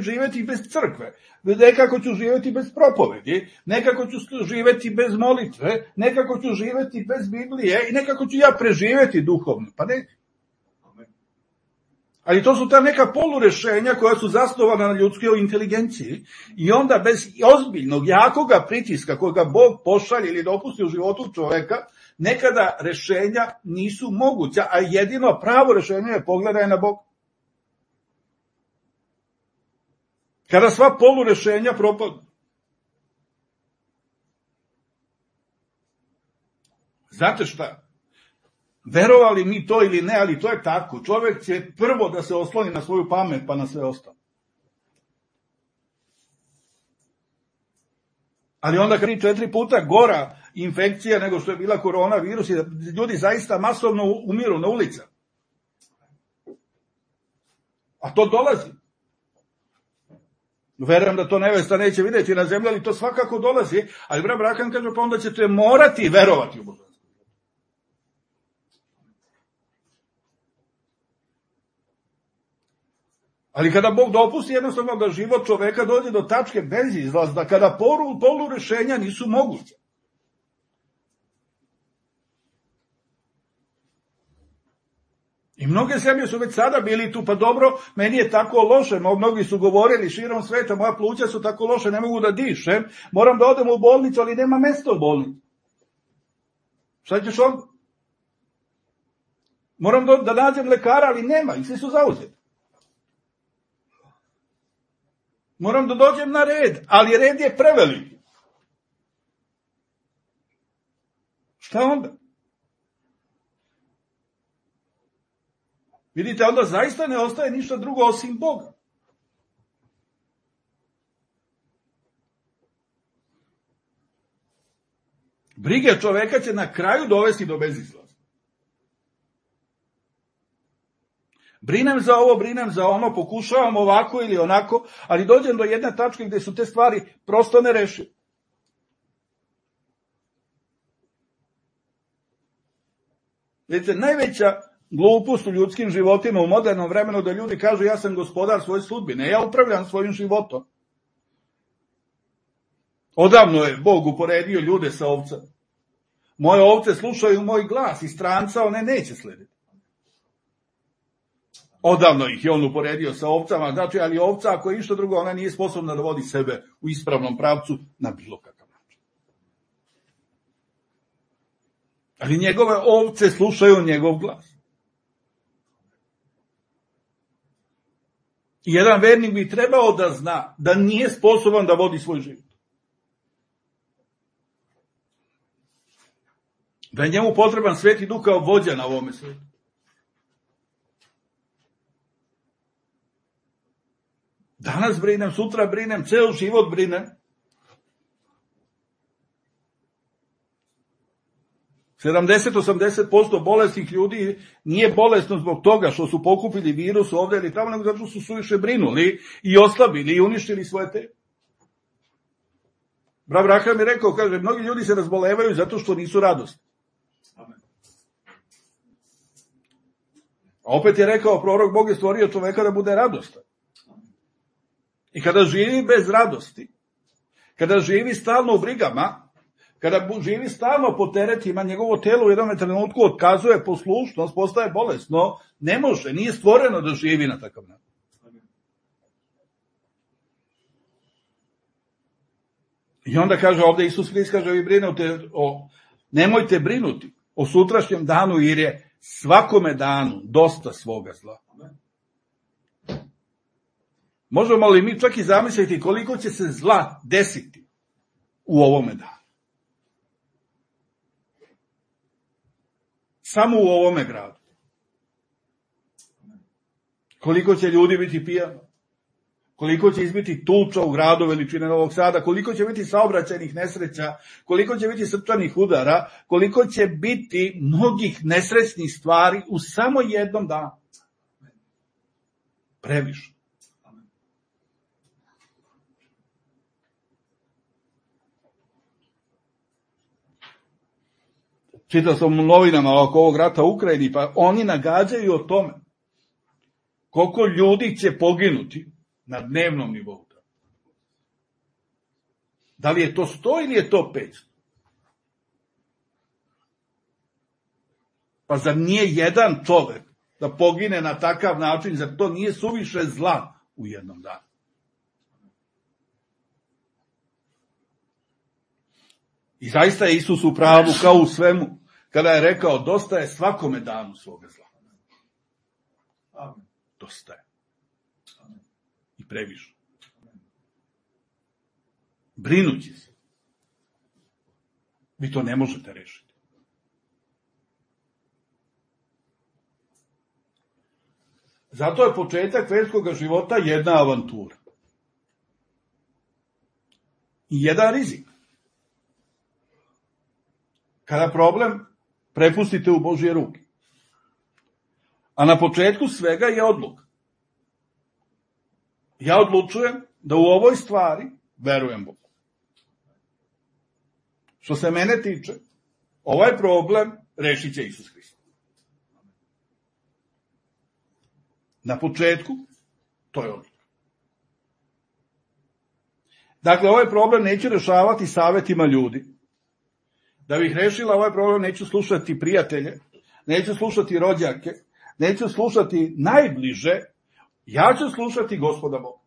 živjeti bez crkve, nekako ću živjeti bez propovedi, nekako ću živjeti bez molitve, nekako ću živjeti bez Biblije i nekako ću ja preživjeti duhovno. Pa ne. Ali to su ta neka polurešenja koja su zasnovana na ljudskoj inteligenciji i onda bez ozbiljnog, jakoga pritiska koga Bog pošalje ili dopusti u životu čoveka, nekada rešenja nisu moguća, a jedino pravo rešenje je pogledaj na Bog. Kada sva polurešenja propadnu. Znate šta? Verovali mi to ili ne, ali to je tako. Čovjek će prvo da se osloni na svoju pamet, pa na sve ostalo. Ali onda 3-4 puta gora infekcija nego što je bila koronavirus i ljudi zaista masovno umiru na ulicama. A to dolazi. Verujem da to nevesta neće vidjeti na zemlji, ali to svakako dolazi. Ali brat Brakan kaže, pa onda ćete morati verovati u Boga. Ali kada Bog dopusti jednostavno da život čoveka dođe do tačke bez izlaza, kada polurešenja nisu moguće. I mnoge zemlje su već sada bili tu, pa dobro, meni je tako loše, mnogi su govorili širom sveta, moja pluća su tako loše, ne mogu da dišem, moram da odem u bolnicu, ali nema mesta u bolnici. Šta ćeš onda? Moram da nađem lekara, ali nema, i svi su zauzeti. Moram da dođem na red, ali red je preveliki. Šta onda? Vidite, onda zaista ne ostaje ništa drugo osim Boga. Brige čoveka će na kraju dovesti do bezizlaza. Brinem za ovo, brinem za ono, pokušavam ovako ili onako, ali dođem do jedne tačke gde su te stvari prosto nerešive. Vidite, najveća glupost u ljudskim životima u modernom vremenu da ljudi kažu ja sam gospodar svoje sudbine, ja upravljam svojim životom. Odavno je Bog uporedio ljude sa ovcama. Moje ovce slušaju moj glas i stranca one neće slediti. Odavno ih je on uporedio sa ovcama, znači, ali ovca ako je išta drugo, ona nije sposobna da vodi sebe u ispravnom pravcu na bilo kakav način. Ali njegove ovce slušaju njegov glas. I jedan vernik bi trebao da zna da nije sposoban da vodi svoj život. Da je njemu potreban Sveti Duh kao vođa na ovome svijetu. Danas brinem, sutra brinem, ceo život brinem. 70-80% bolesnih ljudi nije bolesno zbog toga što su pokupili virus ovde ili tamo, nego zato što su suviše brinuli i oslabili i uništili svoje telo. Brat mi rekao, kaže, mnogi ljudi se razbolevaju zato što nisu radosni. A opet je rekao prorok, Bog je stvorio čoveka da bude radostan. I kada živi bez radosti, kada živi stalno u brigama, kada živi stalno po teretima, njegovo telo u jednom trenutku otkazuje poslušnost, postaje bolesno, ne može, nije stvoreno da živi na takav način. I onda kaže ovde Isus Hrist, kaže, vi brinete nemojte brinuti o sutrašnjem danu, jer je svakome danu dosta svoga zla. Možemo li mi čak i zamisliti koliko će se zla desiti u ovome danu? Samo u ovome gradu. Koliko će ljudi biti pijano? Koliko će izbiti tuča u gradu veličine Novog Sada? Koliko će biti saobraćajnih nesreća? Koliko će biti srčanih udara? Koliko će biti mnogih nesrećnih stvari u samo jednom danu? Previše. Čitao sam u novinama oko ovog rata u Ukrajini, pa oni nagađaju o tome koliko ljudi će poginuti na dnevnom nivou. Da li je to 100 ili je to 500? Pa zar nije jedan čovek da pogine na takav način, zar to nije suviše zla u jednom danu? I zaista je Isus u pravu kao u svemu, kada je rekao, dosta je svakome danu svoga zla. Dosta je. I previše. Brinući se. Vi to ne možete rešiti. Zato je početak verskog života jedna avantura. I jedan rizik. Kada problem prepustite u Božje ruke. A na početku svega je odluka. Ja odlučujem da u ovoj stvari verujem Bogu. Što se mene tiče, ovaj problem rešit će Isus Hrist. Na početku, to je odluka. Dakle, ovaj problem neću rešavati savetima ljudi. Da bih rešila ovaj problem, neću slušati prijatelje, neću slušati rođake, neću slušati najbliže, ja ću slušati Gospoda Boga.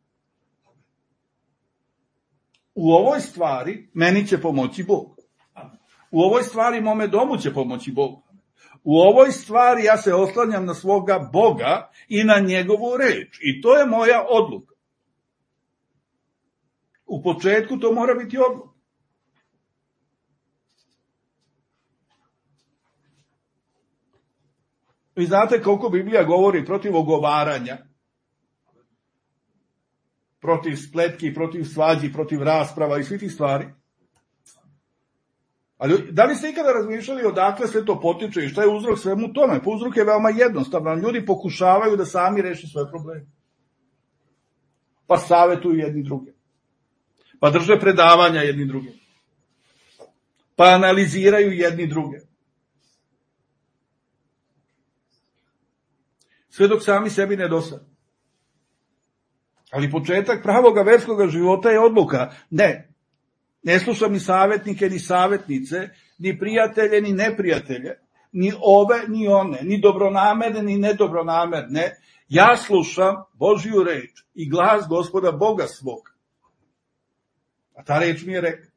U ovoj stvari meni će pomoći Bog. U ovoj stvari mome domu će pomoći Bog. U ovoj stvari ja se oslanjam na svoga Boga i na njegovu reč. I to je moja odluka. U početku to mora biti odluka. Vi znate koliko Biblija govori protiv ogovaranja, protiv spletki, protiv svađi, protiv rasprava i svih tih stvari. Ali da li ste ikada razmišljali odakle sve to potiče i šta je uzrok svemu tome? Pa uzrok je veoma jednostavan. Ljudi pokušavaju da sami reši svoje probleme. Pa savetuju jedni druge. Pa drže predavanja jedni druge. Pa analiziraju jedni druge. Sve dok sami sebi ne dosade. Ali početak pravoga verskoga života je odluka. Ne slušam ni savetnike, ni savetnice, ni prijatelje, ni neprijatelje, ni ove, ni one, ni dobronamerne, ni nedobronamerne. Ja slušam Božju reč i glas Gospoda Boga svog. A ta reč mi je rekla.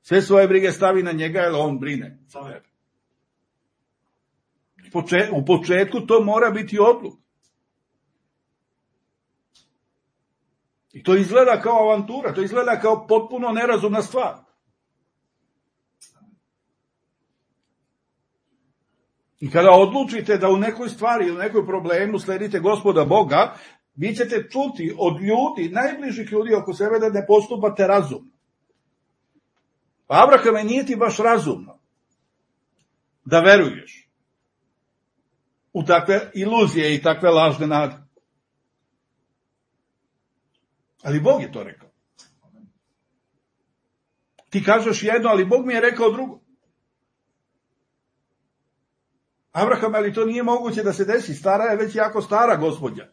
Sve svoje brige stavi na njega, jer on brine za tebe. U početku to mora biti odluka. I to izgleda kao avantura, to izgleda kao potpuno nerazumna stvar. I kada odlučite da u nekoj stvari ili u nekoj problemu sledite Gospoda Boga, vi ćete čuti od ljudi, najbližih ljudi oko sebe, da ne postupate razumno. Pa Abrahame, nije ti baš razumno da veruješ u takve iluzije i takve lažne nade. Ali Bog je to rekao. Ti kažeš jedno, ali Bog mi je rekao drugo. Abraham, ali to nije moguće da se desi, stara je već jako stara gospođa.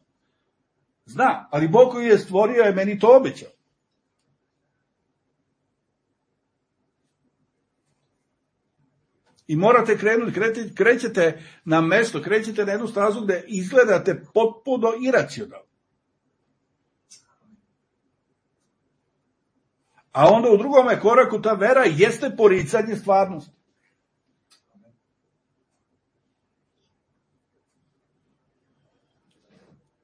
Zna, ali Bog koji je stvorio je meni to obećao. I morate krenuti, krećete na mesto, krećete na jednu stazu gde izgledate potpuno iracionalno. A onda u drugome koraku ta vera jeste poricanje stvarnosti.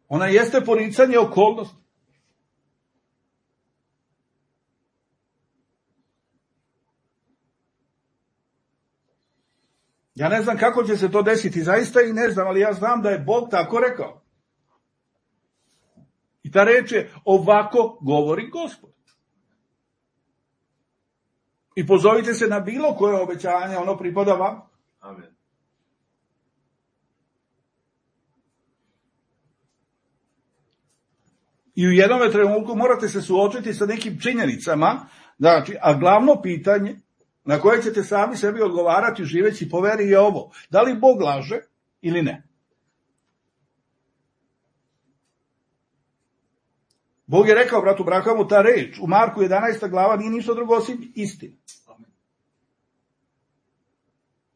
Ona jeste poricanje okolnosti. Ja ne znam kako će se to desiti, zaista i ne znam, ali ja znam da je Bog tako rekao. I ta reč je ovako govori Gospod. I pozovite se na bilo koje obećanje, ono pripada vam. Amen. I u jednom trenutku morate se suočiti sa nekim činjenicama, znači, a glavno pitanje na koje ćete sami sebi odgovarati živeći po veri je ovo. Da li Bog laže ili ne? Bog je rekao bratu Brahamu ta reč u Marku 11. glava nije ništa drugo osim istina.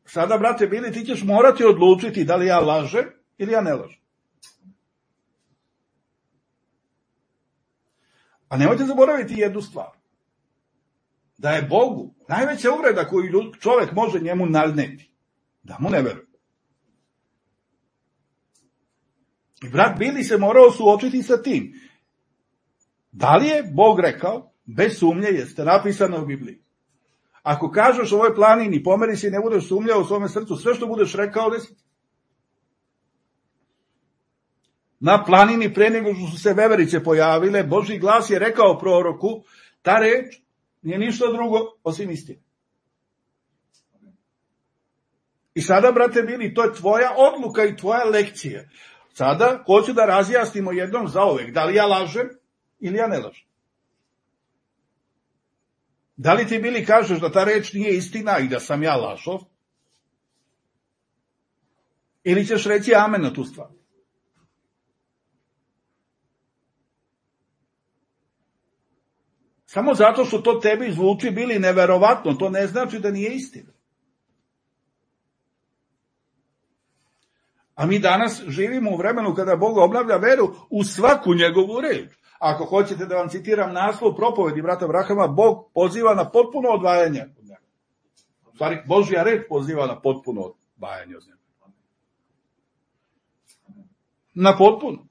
Sada, brate Bili, ti ćeš morati odlučiti da li ja lažem ili ja ne lažem. A nemojte zaboraviti jednu stvar. Da je Bogu najveća uvreda koju čovek može njemu naneti. Da mu ne veruje. I brat Bili se morao suočiti sa tim. Da li je Bog rekao? Bez sumnje jeste napisano u Bibliji. Ako kažeš ovoj planini, pomeri se i ne budeš sumnjao u svome srcu, sve što budeš rekao desi. Na planini pre nego što su se veverice pojavile, Božji glas je rekao proroku, ta reč nije ništa drugo osim istine. I sada, brate Bili, to je tvoja odluka i tvoja lekcija. Sada hoću da razjasnimo jednom zauvek, da li ja lažem ili ja ne lažem. Da li ti Bili kažeš da ta reč nije istina i da sam ja lažov? Ili ćeš reći amen na tu stvar? Samo zato što to tebi zvuči Bili neverovatno, to ne znači da nije istina. A mi danas živimo u vremenu kada Bog obnavlja veru u svaku njegovu reč. Ako hoćete da vam citiram naslov propovedi brata Brahama, Bog poziva na potpuno odvajanje od njega. U stvari, Božja reč poziva na potpuno odvajanje od njega. Na potpuno.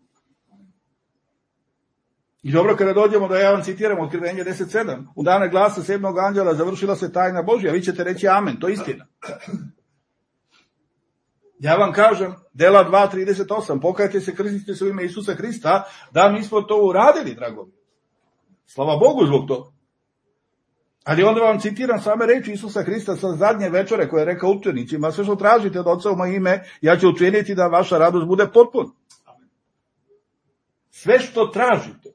I dobro, kada dođemo da ja vam citiram Otkrivenje 10.7, u dane glasa 7. anđela završila se tajna Božja, vi ćete reći amen, to je istina. Ja vam kažem, dela 2.38, pokajte se, krstite se u ime Isusa Hrista, da mi smo to uradili, dragovi. Slava Bogu zbog toga. Ali onda vam citiram same reči Isusa Hrista sa zadnje večere koje je rekao učenicima, sve što tražite od Oca u moje ime, ja ću učiniti da vaša radost bude potpuna. Sve što tražite.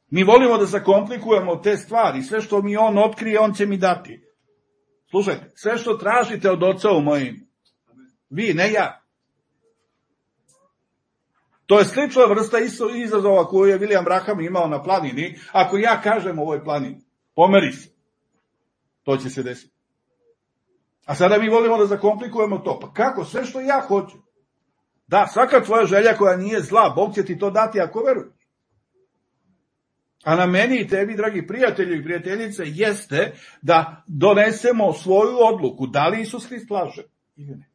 Mi volimo da zakomplikujemo te stvari, sve što mi on otkrije, on će mi dati. Slušajte, sve što tražite od Oca u moje ime, vi, ne ja. To je slična vrsta izazova koju je William Branham imao na planini. Ako ja kažem ovoj planini, pomeri se, to će se desiti. A sada mi volimo da zakomplikujemo to. Pa kako? Sve što ja hoću. Da, svaka tvoja želja koja nije zla, Bog će ti to dati ako veruješ. A na meni i tebi, dragi prijatelji i prijateljice, jeste da donesemo svoju odluku, da li Isus Hrist laže ili ne.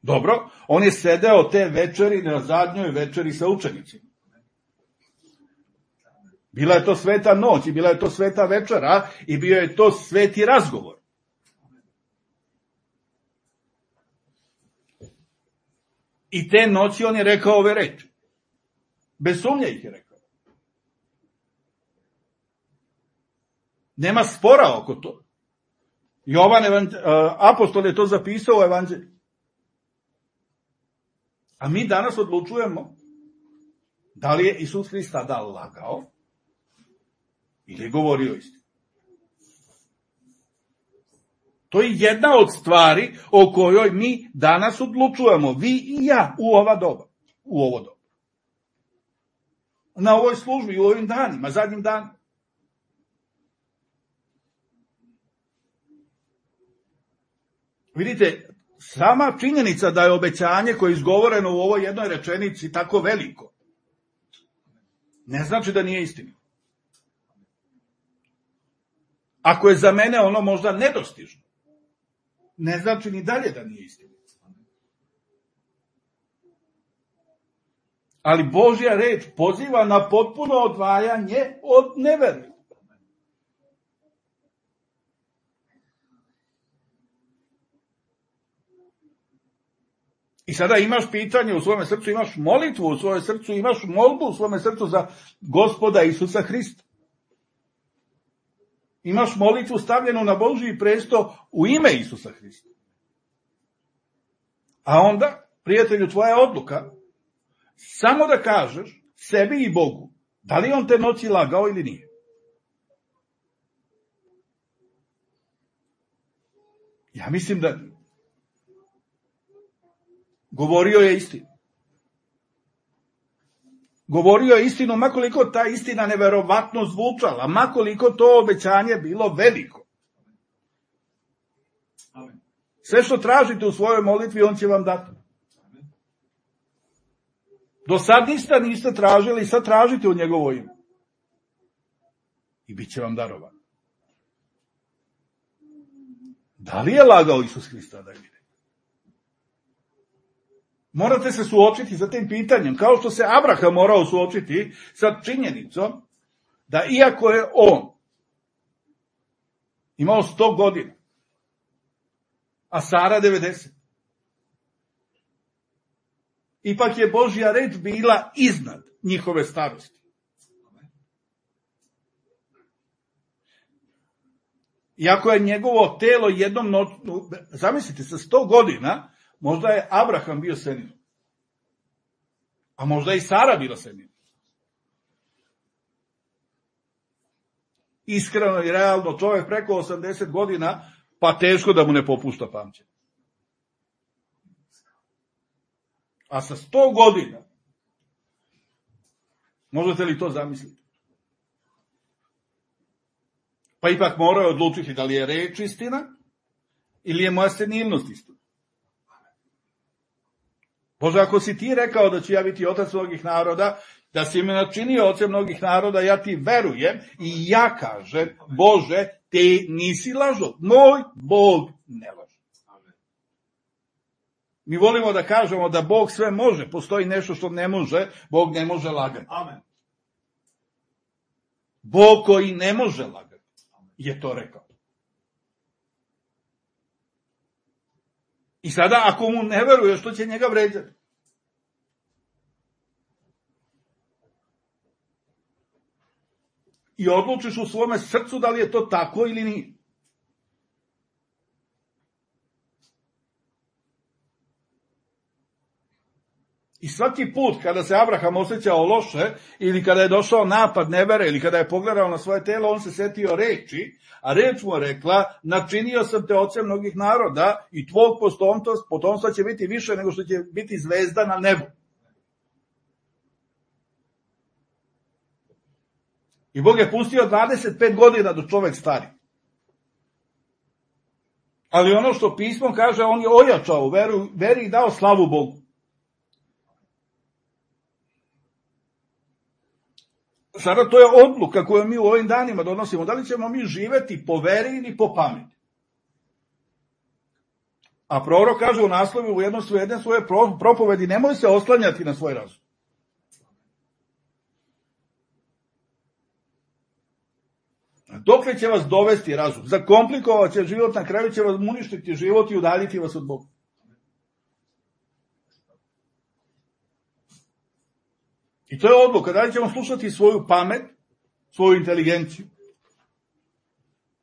Dobro, on je sedeo te večeri na zadnjoj večeri sa učenicima. Bila je to sveta noć i bila je to sveta večera i bio je to sveti razgovor. I te noći on je rekao ove reči. Bez sumnje ih je rekao. Nema spora oko to. Jovan apostol je to zapisao u evanđelju. A mi danas odlučujemo da li je Isus Hrist tada lagao ili je govorio istinu. To je jedna od stvari o kojoj mi danas odlučujemo, vi i ja, u ovo doba. Na ovoj službi, u ovim danima, zadnjim danima. Vidite, sama činjenica da je obećanje koje je izgovoreno u ovoj jednoj rečenici tako veliko, ne znači da nije istina. Ako je za mene ono možda nedostižno, ne znači ni dalje da nije istina. Ali Božja reč poziva na potpuno odvajanje od nevere. I sada imaš pitanje u svome srcu, imaš molitvu u svojem srcu, imaš molbu u svome srcu za Gospoda Isusa Hrista. Imaš molitvu stavljenu na Božji presto u ime Isusa Hrista. A onda, prijatelju, tvoja odluka, samo da kažeš sebi i Bogu, da li on te noći lagao ili nije. Ja mislim da govorio je istinu. Govorio je istinu, makoliko ta istina neverovatno zvučala, makoliko to obećanje bilo veliko. Sve što tražite u svojoj molitvi, on će vam dati. Do sad niste tražili, sad tražite u njegovo ime. I bit će vam darovan. Da li je lagao Isus Hrista da vide? Morate se suočiti sa tim pitanjem, kao što se Abraham morao suočiti sa činjenicom da iako je on imao 100 godina, a Sara 90, ipak je Božja reč bila iznad njihove starosti. Iako je njegovo telo jednom noću, zamislite, sa 100 godina, možda je Abraham bio senil. A možda je i Sara bila senil. Iskreno i realno, čovjek preko 80 godina, pa teško da mu ne popušta pamćenje. A sa 100 godina, možete li to zamisliti? Pa ipak moraju odlučiti da li je reč istina ili je moja senilnost istina. Bože, ako si ti rekao da ću ja biti otac mnogih naroda, da si me načinio ocem mnogih naroda, ja ti verujem i ja kažem, Bože, ti nisi lažov. Moj Bog ne laže. Mi volimo da kažemo da Bog sve može, postoji nešto što ne može, Bog ne može lagati. Amen. Bog koji ne može lagati je to rekao. I sada ako mu ne veruje, što će njega vređati? I odlučiš u svome srcu da li je to tako ili nije. I svaki put kada se Abraham osjećao loše, ili kada je došao napad nevere, ili kada je pogledao na svoje telo, on se setio reči, a reč mu je rekla, načinio sam te ocem mnogih naroda i tvog potomstva će biti više nego što će biti zvezda na nebu. I Bog je pustio 25 godina do čovek stari. Ali ono što pismo kaže, on je ojačao veri i dao slavu Bogu. Sada to je odluka koju mi u ovim danima donosimo. Da li ćemo mi živeti po veri ili po pameti? A prorok kaže u naslovu u jedne svoje propovedi, nemoj se oslanjati na svoj razum. Dokle će vas dovesti razum? Zakomplikovat će život, na kraju će vas uništiti život i udaljiti vas od Boga. I to je odluka. Da li ćemo slušati svoju pamet, svoju inteligenciju?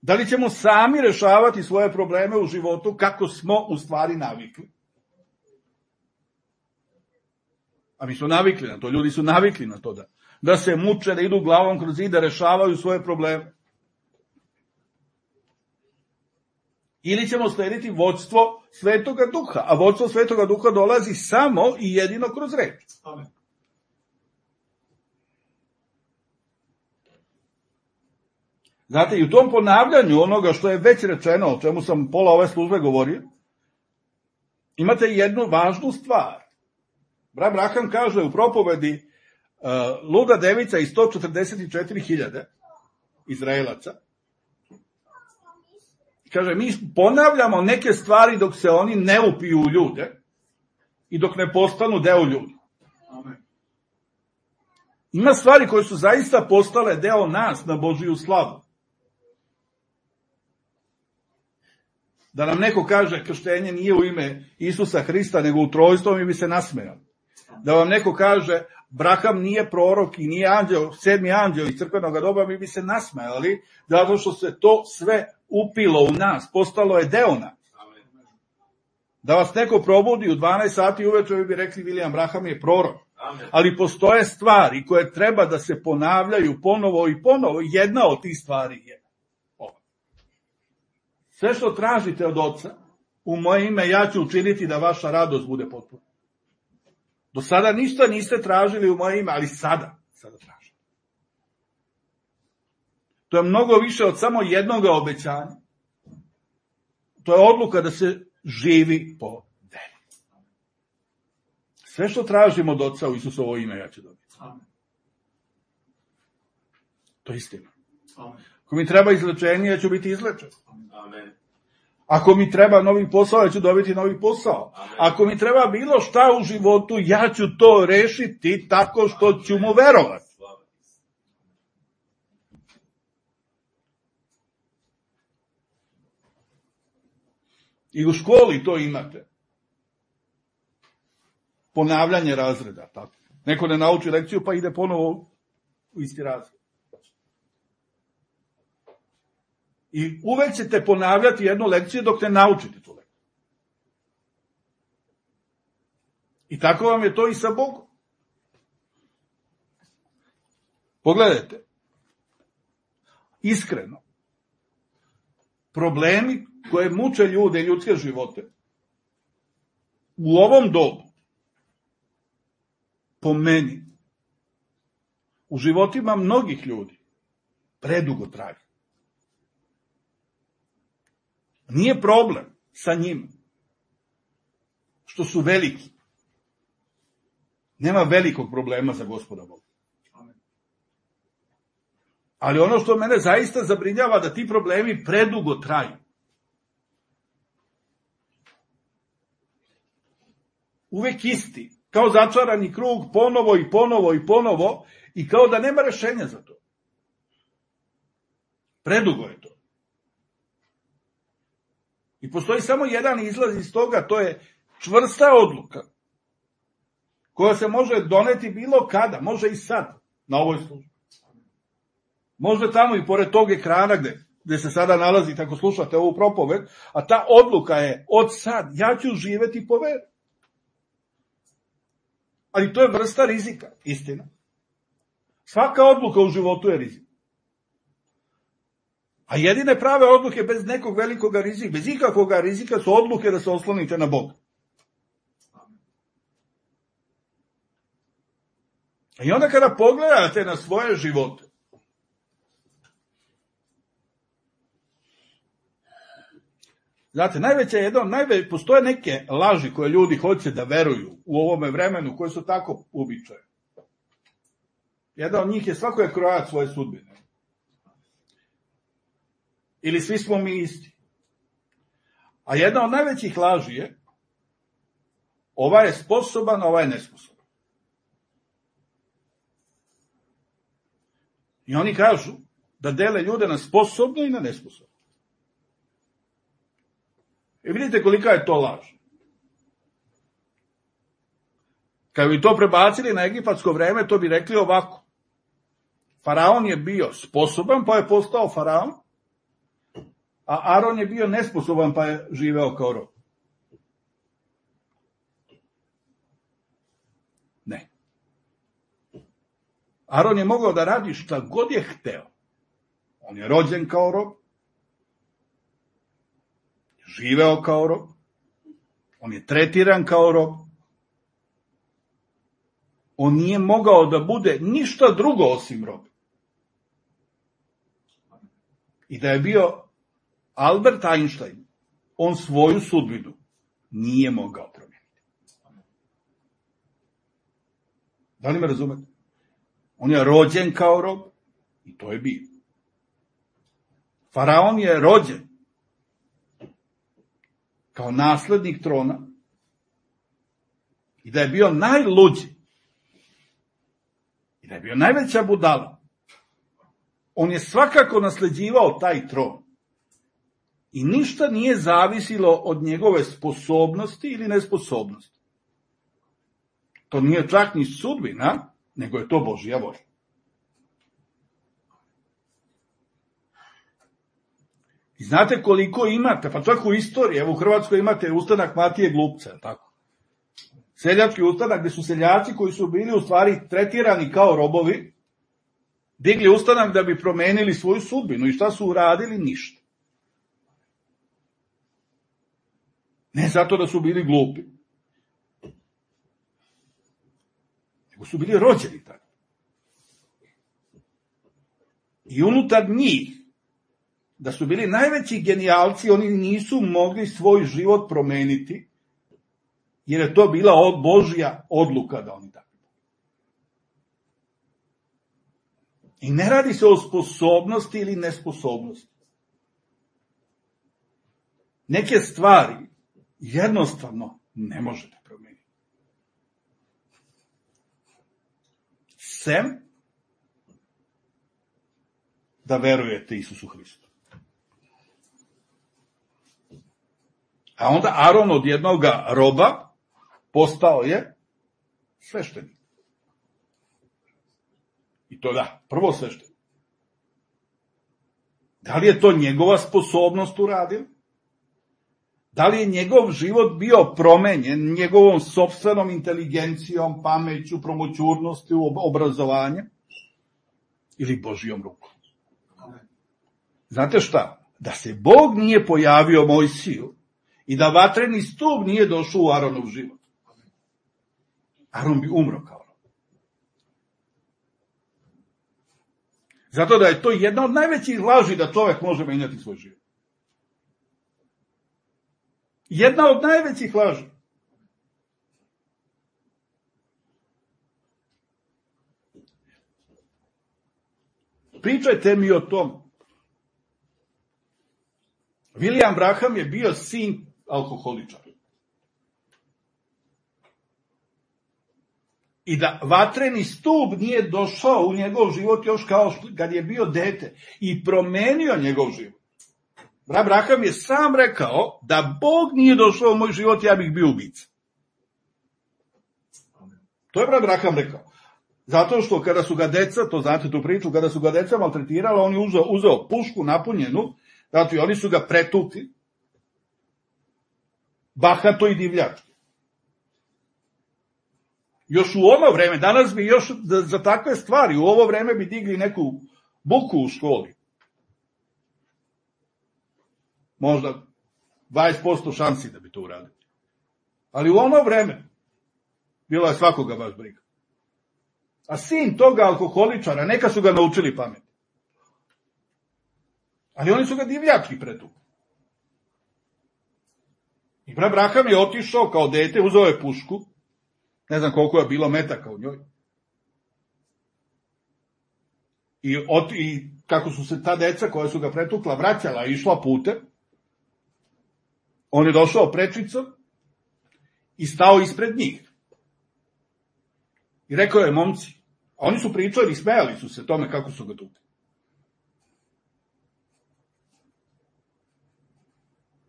Da li ćemo sami rešavati svoje probleme u životu kako smo u stvari navikli? A mi smo navikli na to, ljudi su navikli na to da se muče, da idu glavom kroz zid, da rešavaju svoje probleme. Ili ćemo slediti vođstvo Svetoga Duha, a vođstvo Svetoga Duha dolazi samo i jedino kroz reč. Amen. Znate, i u tom ponavljanju onoga što je već rečeno, o čemu sam pola ove službe govorio, imate jednu važnu stvar. Brat Braham kaže u propovedi luda devica i 144.000 Izraelaca. Kaže, mi ponavljamo neke stvari dok se oni ne upiju u ljude i dok ne postanu deo ljudi. Amen. Ima stvari koje su zaista postale deo nas na Božiju slavu. Da nam neko kaže krštenje nije u ime Isusa Hrista, nego u trojstvu, mi bi se nasmejali. Da vam neko kaže Braham nije prorok i nije anđeo, 7. anđeo iz crkvenog doba, mi bi se nasmejali, zato što se to sve upilo u nas, postalo je deo nas. Da vas neko probudi u 12 sati uveče, vi bi rekli William Braham je prorok. Ali postoje stvari koje treba da se ponavljaju ponovo i ponovo. Jedna od tih stvari je ova. Sve što tražite od Oca, u moje ime ja ću učiniti da vaša radost bude potpuna. Do sada ništa niste tražili u moje ime, ali sada tražite. To je mnogo više od samo jednog obećanja. To je odluka da se živi po veri. Sve što tražimo od Oca u Isusovo ime, ja ću dobiti. Amen. To je istina. Amen. Ako mi treba izlečenje, ja ću biti izlečen. Amen. Ako mi treba novi posao, ja ću dobiti novi posao. Amen. Ako mi treba bilo šta u životu, ja ću to rešiti tako što ću mu verovati. I u školi to imate. Ponavljanje razreda. Tako. Neko ne nauči lekciju pa ide ponovo u isti razred. I uvek ćete ponavljati jednu lekciju dok ne naučite tu lekciju. I tako vam je to i sa Bogom. Pogledajte. Iskreno. Problemi koje muče ljude i ljudske živote u ovom dobu, po meni, u životima mnogih ljudi, predugo traju. Nije problem sa njima što su veliki. Nema velikog problema za Gospoda Boga. Ali ono što mene zaista zabrinjava da ti problemi predugo traju. Uvek isti, kao začarani krug, ponovo i ponovo i ponovo, i kao da nema rešenja za to. Predugo je to. I postoji samo jedan izlaz iz toga, to je čvrsta odluka, koja se može doneti bilo kada, može i sad, na ovoj službi. Može tamo i pored tog ekrana gde se sada nalazite ako slušate ovu propoved, a ta odluka je od sad, ja ću živeti po veri. Ali to je vrsta rizika, istina. Svaka odluka u životu je rizik. A jedine prave odluke bez nekog velikog rizika, bez ikakvog rizika su odluke da se oslonite na Boga. I onda kada pogledate na svoje živote, znate, postoje neke laži koje ljudi hoće da veruju u ovome vremenu, koje su tako uobičajene. Jedna od njih je svako je krojac svoje sudbine. Ili svi smo mi isti. A jedna od najvećih laži je ovaj je sposoban, ovaj je nesposoban. I oni kažu da dele ljude na sposobne i na nesposobne. I vidite kolika je to laž. Kad bi to prebacili na egipatsko vreme, to bi rekli ovako. Faraon je bio sposoban, pa je postao faraon, a Aron je bio nesposoban, pa je živeo kao rob. Ne. Aron je mogao da radi šta god je hteo. On je rođen kao rob, živeo kao rob, on je tretiran kao rob, on nije mogao da bude ništa drugo osim rob. I da je bio Albert Einstein, on svoju sudbinu nije mogao promijeniti. Da li me razumete? On je rođen kao rob i to je bio. Faraon je rođen kao naslednik trona i da je bio najluđi i da je bio najveća budala. On je svakako nasleđivao taj tron. I ništa nije zavisilo od njegove sposobnosti ili nesposobnosti. To nije čak ni sudbina, nego je to Božja volja. I znate koliko imate, pa čak u istoriji, evo u Hrvatskoj imate ustanak Matije Glupca, tako? Seljački ustanak, gde su seljaci koji su bili u stvari tretirani kao robovi, digli ustanak da bi promenili svoju sudbinu. I šta su uradili? Ništa. Ne zato da su bili glupi, nego su bili rođeni tako. I unutar njih, da su bili najveći genijalci, oni nisu mogli svoj život promeniti, jer je to bila Božja odluka da oni tako. I ne radi se o sposobnosti ili nesposobnosti. Neke stvari jednostavno ne možete promijeniti. Sem da verujete Isusu Hristu. A onda Aron od jednog roba postao je sveštenik. I to da, prvo sveštenik. Da li je to njegova sposobnost uradila? Da li je njegov život bio promenjen njegovom sopstvenom inteligencijom, pameću, promoćurnosti, obrazovanjem? Ili Božijom rukom? Znate šta? Da se Bog nije pojavio Mojsiju i da vatreni stup nije došao u Aronov život, Aron bi umro kao rob. Zato da je to jedna od najvećih laži da čovek može menjati svoj život. Jedna od najvećih laži. Pričajte mi o tom. William Branham je bio sin alkoholičara. I da vatreni stup nije došao u njegov život još kao kad je bio dete i promenio njegov život. Branham je sam rekao da Bog nije došao u moj život, ja bih bio ubica. To je Branham rekao. Zato što kada su ga deca, to znate tu priču, kada su ga deca maltretirala, on je uzeo pušku napunjenu, znači oni su ga pretukli, bahato i divljački. Još u ono vreme, danas bi još za takve stvari, u ovo vreme bi digli neku buku u školi. Možda 20% šansi da bi to uradili. Ali u ono vreme bilo je svakoga baš briga. A sin toga alkoholičara, neka su ga naučili pamet. Ali oni su ga divljački pretukli. I Branham je otišao kao dete, uzeo je pušku, ne znam koliko je bilo metaka u njoj. I kako su se ta deca koja su ga pretukla vraćala i išla putem, on je došao prečicom i stao ispred njih. I rekao je, momci, a oni su pričali i smejali su se tome kako su ga tukli.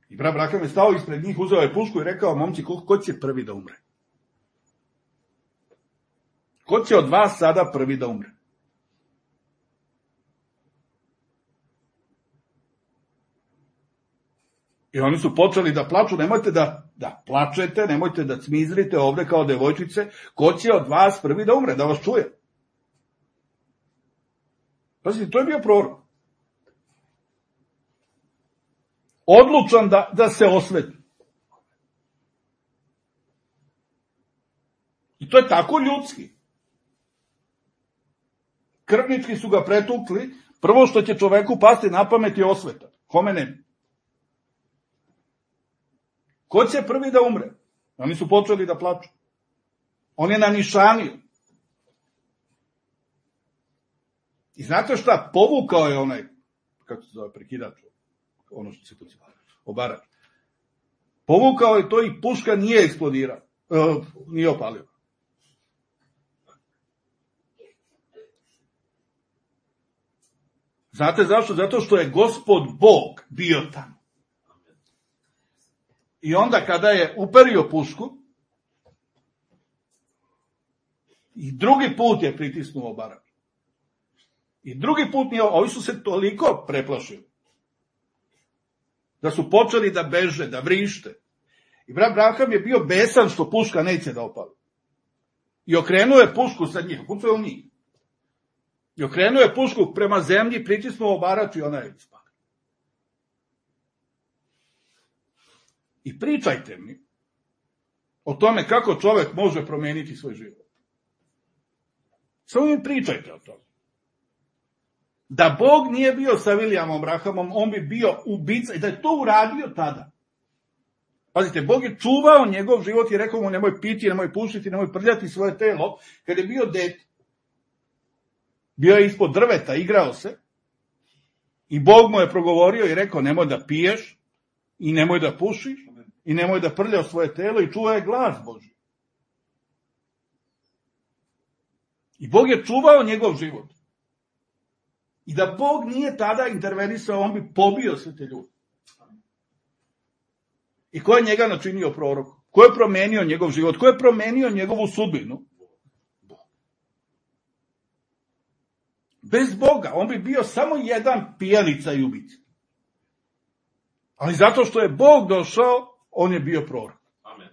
I Branham je stao ispred njih, uzeo je pušku i rekao, momci, ko će prvi da umre? Ko će od vas sada prvi da umre? I oni su počeli da plaču, nemojte da plačete, nemojte da cmizrite ovde kao devojčice, ko će od vas prvi da umre, da vas čuje? Pazite, to je bio prorok. Odlučan da se osveti. I to je tako ljudski. Krvnički su ga pretukli, prvo što će čoveku pasti na pamet je osveta. Kome ne? Ko će prvi da umre? Oni su počeli da plaču. On je nanišanio. I znate šta? Povukao je onaj, kako se zove, prekidač, ono što se poziva, obarač. Povukao je to i puška nije eksplodirao, nije opalio. Znate zašto? Zato što je Gospod Bog bio tamo. I onda kada je uperio pušku, i drugi put je pritisnuo obarač. I drugi put nije, ovi su se toliko preplašili, da su počeli da beže, da vrište. I brat Branham je bio besan što puška neće da opali. I okrenuo je pušku sa njih, kucao u njih. I okrenuo je pušku prema zemlji, pritisnuo obarač i ona je ispala. I pričajte mi o tome kako čovek može promeniti svoj život. Samo mi pričajte o tome. Da Bog nije bio sa Williamom Branhamom, on bi bio ubica i da je to uradio tada. Pazite, Bog je čuvao njegov život i rekao mu nemoj piti, nemoj pušiti, nemoj prljati svoje telo. Kad je bio dete, bio je ispod drveta, igrao se i Bog mu je progovorio i rekao nemoj da piješ i nemoj da pušiš i nemoj da prljaš svoje telo i čuvaj glas Božji. I Bog je čuvao njegov život. I da Bog nije tada intervenisao, on bi pobio sve te ljude. I ko je njega načinio prorokom? Ko je promenio njegov život? Ko je promenio njegovu sudbinu? Bez Boga, on bi bio samo jedan pijanica i ubica. Ali zato što je Bog došao, on je bio prorok. Amen.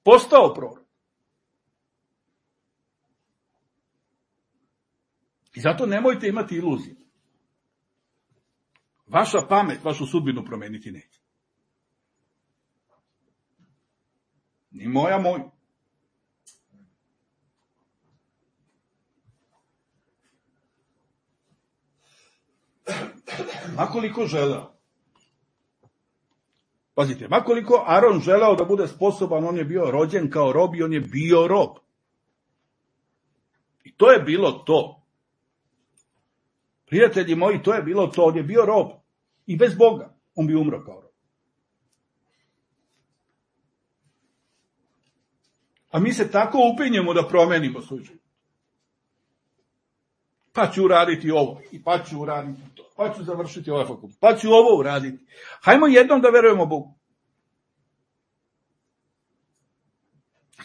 Postao prorok. I zato nemojte imati iluzije. Vaša pamet, vašu sudbinu promeniti neće. Ni moja, moju. Makoliko želeo. Pazite, makoliko Aron želeo da bude sposoban, on je bio rođen kao rob i on je bio rob. I to je bilo to. Prijatelji moji, to je bilo to. On je bio rob. I bez Boga on bi umro kao rob. A mi se tako upinjemo da promenimo svoj život. Pa ću uraditi ovo, i pa ću uraditi to, pa ću završiti ovaj fakultet, pa ću ovo uraditi. Hajmo jednom da verujemo Bogu.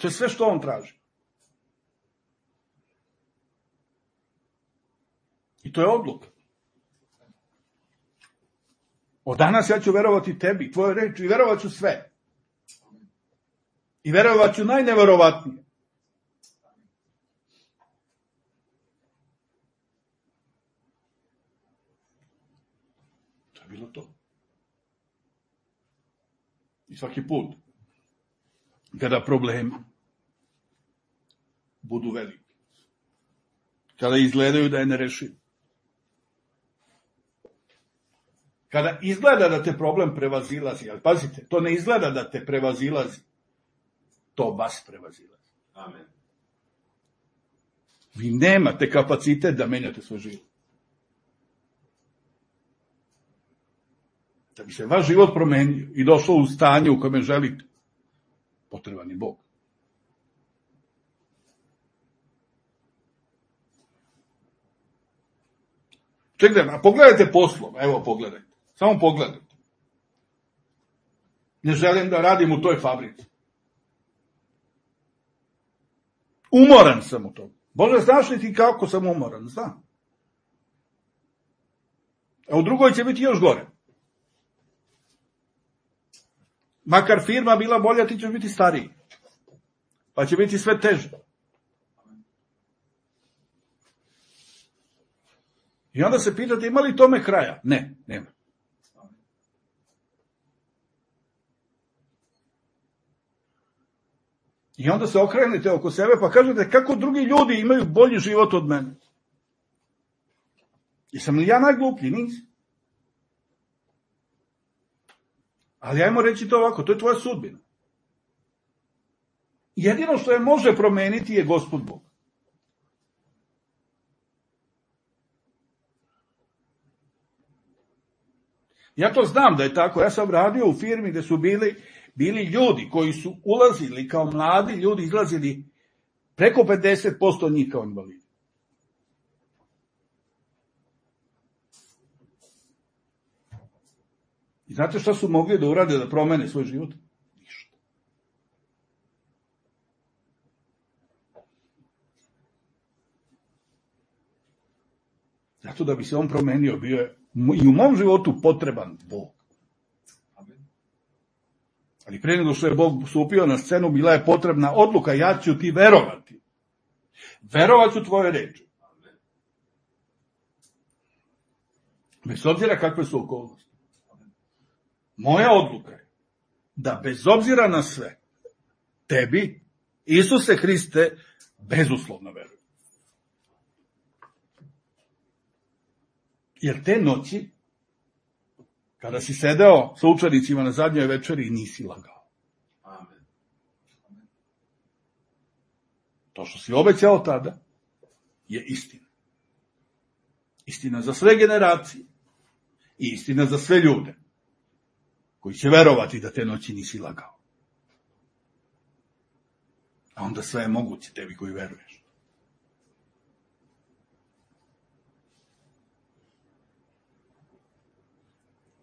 To je sve što on traži. I to je odluka. Od danas ja ću verovati tebi, tvojoj reči, i verovat ću sve. I verovat ću najneverovatnije. To je bilo to. I svaki put, kada problemi budu veliki, kada izgledaju da je nerešiv, kada izgleda da te problem prevazilazi, ali pazite, to ne izgleda da te prevazilazi, to vas prevazilazi. Amen. Vi nemate kapacitet da menjate svoj život. Da bi se vaš život promenio i došao u stanje u kojem želite, potreban je Bog. Čekajte, pogledajte poslom, evo pogledajte, samo pogledajte. Ne želim da radim u toj fabrici. Umoran sam u tom. Bože, znaš li ti kako sam umoran? Znam. A u drugoj će biti još gore. Makar firma bila bolja, ti ćeš biti stariji. Pa će biti sve teže. I onda se pitate ima li tome kraja? Ne, nema. I onda se okrenete oko sebe pa kažete kako drugi ljudi imaju bolji život od mene. Jesam li ja najgluplji? Nisam. Ali ajmo reći to ovako, to je tvoja sudbina. Jedino što je može promeniti je Gospod Bog. Ja to znam da je tako. Ja sam radio u firmi gde su bili ljudi koji su ulazili kao mladi ljudi, izlazili preko 50% njih kao invalidi. I znate šta su mogli da urade da promene svoj život? Ništa. Zato da bi se on promenio, bio je i u mom životu potreban Bog. Ali prije nego što je Bog stupio na scenu, bila je potrebna odluka, ja ću ti verovati. Verovat ću tvoje reči. Bez obzira kakve su okolnosti. Moja odluka je da bez obzira na sve, tebi, Isuse Hriste, bezuslovno verujem. Jer te noći, kada si sedeo sa učenicima na zadnjoj večeri, nisi lagao. Amen. To što si obećao tada je istina. Istina za sve generacije i istina za sve ljude koji će verovati da te noći nisi lagao. A onda sve je moguće tebi koji veruješ.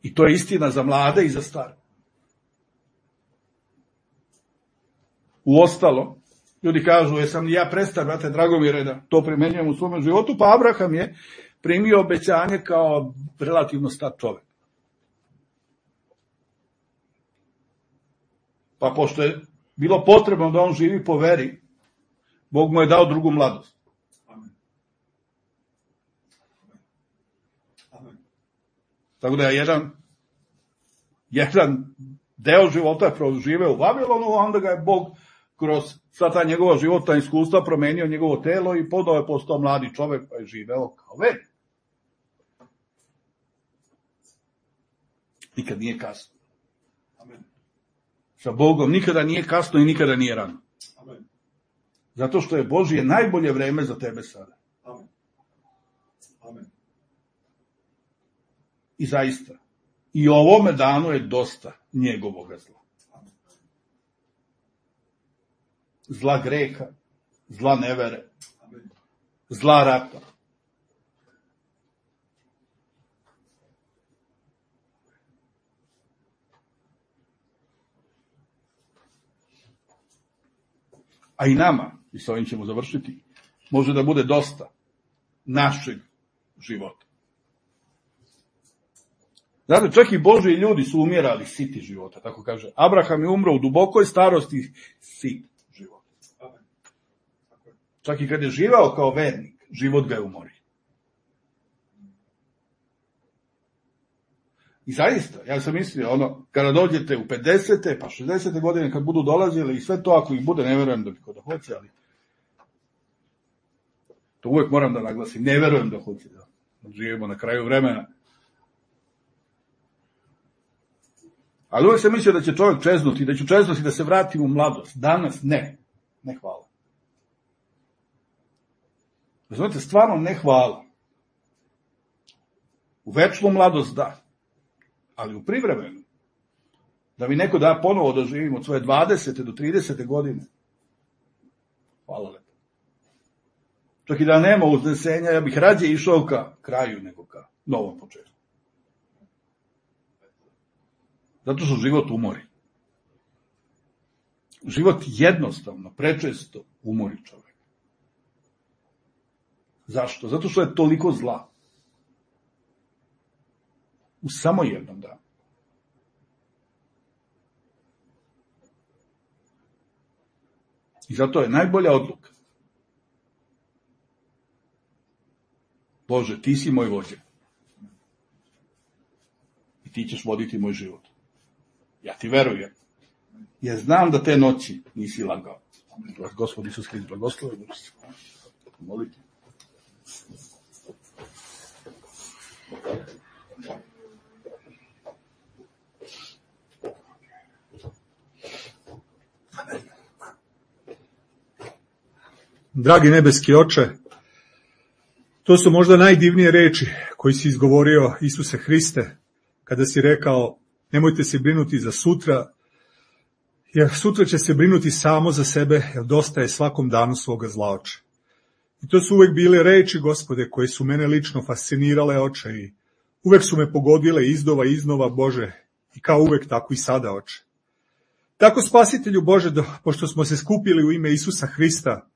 I to je istina za mlade i za stare. Uostalo, ljudi kažu, jesam li ja prestar, brate Dragomire, da to primenjujem u svome životu, pa Abraham je primio obećanje kao relativno star čovek. Pa pošto je bilo potrebno da on živi po veri, Bog mu je dao drugu mladost. Amen. Amen. Tako da je jedan deo života je proživeo u Vavilonu, a onda ga je Bog kroz sva ta njegova životna iskustva promenio njegovo telo i podao je postao mladi čovek pa je živeo kao vernik. Nikad nije kasno. Amen. Sa Bogom nikada nije kasno i nikada nije rano. Amen. Zato što je Božje najbolje vreme za tebe sada. Amen. Amen. I zaista, i ovome danu je dosta njegovoga zla. Zla greha, zla nevere, Amen. zla rata. A i nama, i sa ovim ćemo završiti, može da bude dosta našeg života. Znate, čak i Božji ljudi su umirali siti života, tako kaže. Abraham je umro u dubokoj starosti sit života. Amen. Čak i kad je živeo kao vernik, život ga je umorio. I zaista, ja sam mislio, kada dođete u 50. pa 60. godine, kad budu dolazili i sve to, ako ih bude, ne verujem da bi kod da hoće, ali to uvek moram da naglasim, ne verujem da hoće da živimo na kraju vremena. Ali uvek sam mislio da će čovjek čeznuti, da ću čeznuti da se vratim u mladost. Danas ne hvala. Znate, stvarno ne hvala. U večnu mladost da, ali u privremenu. Da mi neko da ponovo da živim od svoje 20. do 30. godine. Hvala lepo. Čak i da nema uznesenja, ja bih rađe išao ka kraju nego ka novom početku. Zato što život umori. Život jednostavno, prečesto umori čovjek. Zašto? Zato što je toliko zla. U samo jednom danu. I zato je najbolja odluka Bože, ti si moj vođa. I ti ćeš voditi moj život. Ja ti verujem. Ja znam da te noći nisi lagao. Gospod Isus Hrist blagoslovi. Molite. Dragi nebeski Oče, to su možda najdivnije reči koji si izgovorio Isuse Hriste, kada si rekao, nemojte se brinuti za sutra, jer sutra će se brinuti samo za sebe, jer dosta je svakom danu svoga zla, Oče. I to su uvek bile reči, Gospode, koje su mene lično fascinirale, Oče, i uvek su me pogodile iznova, Bože, i kao uvek, tako i sada, Oče. Tako, Spasitelju Bože, pošto smo se skupili u ime Isusa Hrista,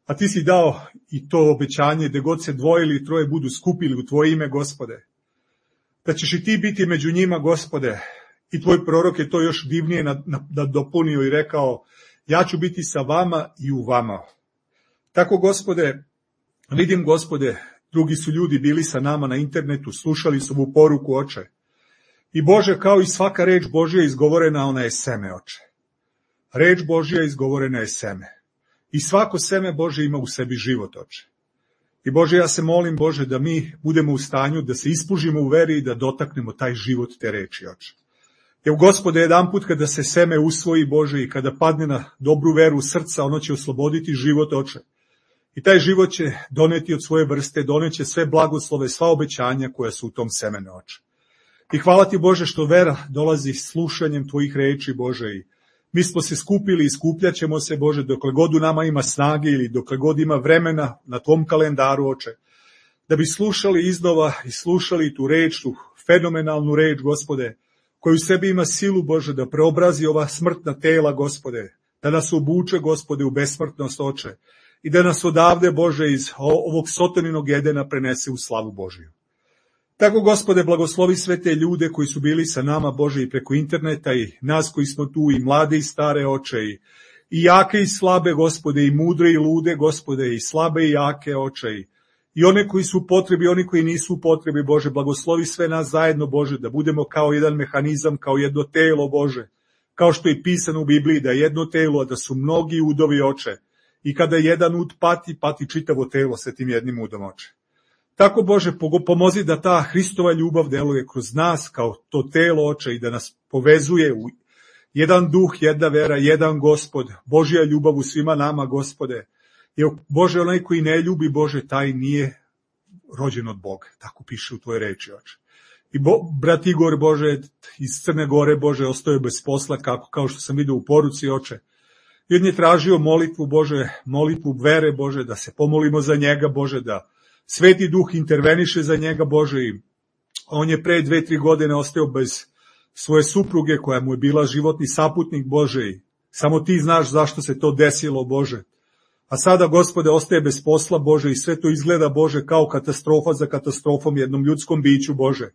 a ti si dao i to obećanje, gde god se dvoje ili troje budu skupili u tvoje ime, Gospode, da ćeš i ti biti među njima, Gospode, i tvoj prorok je to još divnije dopunio i rekao, ja ću biti sa vama i u vama. Tako, Gospode, vidim, Gospode, drugi su ljudi bili sa nama na internetu, slušali su ovu poruku, Oče. I Bože, kao i svaka reč Božja izgovorena, ona je seme, Oče. Reč Božja izgovorena je seme. I svako seme Bože ima u sebi život, Oče. I Bože, ja se molim, Bože, da mi budemo u stanju da se ispužimo u veri i da dotaknemo taj život te reči, Oče. Jer, Gospode, jedan put kada se seme usvoji, Bože, i kada padne na dobru veru srca, ono će osloboditi život, Oče. I taj život će doneti od svoje vrste, doneće sve blagoslove, sva obećanja koja su u tom semenu, Oče. I hvala ti, Bože, što vera dolazi slušanjem tvojih reči, Bože, i mi smo se skupili i skupljaćemo se, Bože, dokle god u nama ima snage ili dokle god ima vremena na tvom kalendaru, Oče, da bi slušali iznova i slušali tu reč, tu fenomenalnu reč, Gospode, koju u sebi ima silu, Bože, da preobrazi ova smrtna tela, Gospode, da nas obuče, Gospode, u besmrtnost, Oče, i da nas odavde, Bože, iz ovog Sotoninog Edena prenese u slavu Božiju. Tako, Gospode, blagoslovi sve te ljude koji su bili sa nama, Bože, i preko interneta, i nas koji smo tu, i mlade i stare, Oče, i jake i slabe, Gospode, i mudre i lude, Gospode, i slabe i jake, Oče, i one koji su u potrebi, oni koji nisu u potrebi, Bože, blagoslovi sve nas zajedno, Bože, da budemo kao jedan mehanizam, kao jedno telo, Bože, kao što je pisano u Bibliji, da je jedno telo, a da su mnogi udovi, Oče, i kada jedan ud pati, pati čitavo telo sa tim jednim udom, Oče. Tako, Bože, pomozi da ta Hristova ljubav deluje kroz nas kao to telo, Oče, i da nas povezuje u jedan duh, jedna vera, jedan Gospod, Božja ljubav u svima nama, Gospode. Jer, Bože, onaj koji ne ljubi, Bože, taj nije rođen od Boga. Tako piše u tvojoj reči, Oče. I brat Igor, Bože, iz Crne Gore, Bože, ostao bez posla, kao što sam vidio u poruci, Oče. I on je tražio molitvu, Bože, molitvu vere, Bože, da se pomolimo za njega, Bože, da Sveti Duh interveniše za njega, Bože, i on je pre 2-3 godine ostao bez svoje supruge koja mu je bila životni saputnik, Bože, i samo ti znaš zašto se to desilo, Bože. A sada, Gospode, ostaje bez posla, Bože, i sve to izgleda, Bože, kao katastrofa za katastrofom jednom ljudskom biću, Bože.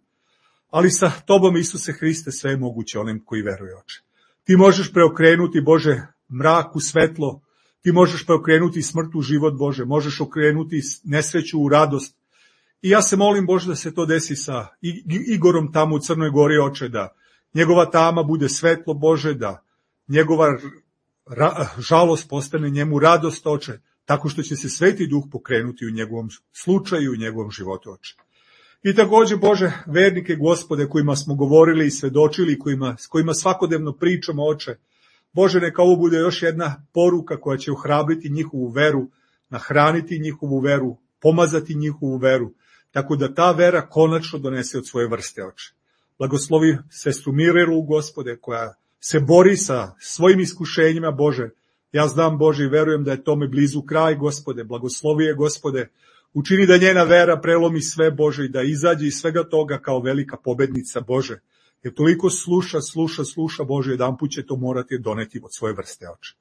Ali sa tobom, Isuse Hriste, sve je moguće onim koji veruje, Oče. Ti možeš preokrenuti, Bože, mrak u svetlo, ti možeš preokrenuti smrt u život, Bože, možeš okrenuti nesreću u radost. I ja se molim, Bože, da se to desi sa Igorom tamo u Crnoj Gori, Oče, da njegova tama bude svetlo, Bože, da njegova žalost postane njemu radost, Oče, tako što će se Sveti Duh pokrenuti u njegovom slučaju, u njegovom životu, Oče. I takođe, Bože, vernike, Gospode, kojima smo govorili i svedočili, s kojima svakodnevno pričamo, Oče, Bože, neka ovo bude još jedna poruka koja će ohrabriti njihovu veru, nahraniti njihovu veru, pomazati njihovu veru, tako da ta vera konačno donese od svoje vrste, Oče. Blagoslovi sestru Mirelu, Gospode, koja se bori sa svojim iskušenjima, Bože. Ja znam, Bože, i verujem da je tome blizu kraj, Gospode. Blagoslovi je, Gospode. Učini da njena vera prelomi sve, Bože, i da izađe iz svega toga kao velika pobednica, Bože. Jer toliko sluša, Bože, jedan put će to morati doneti od svoje vrste, Oče.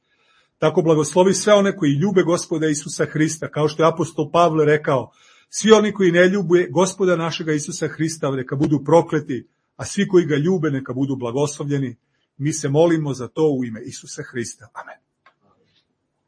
Tako blagoslovi sve one koji ljube Gospoda Isusa Hrista, kao što je apostol Pavle rekao, svi oni koji ne ljube Gospoda našega Isusa Hrista, neka budu prokleti, a svi koji ga ljube neka budu blagoslovljeni. Mi se molimo za to u ime Isusa Hrista. Amen.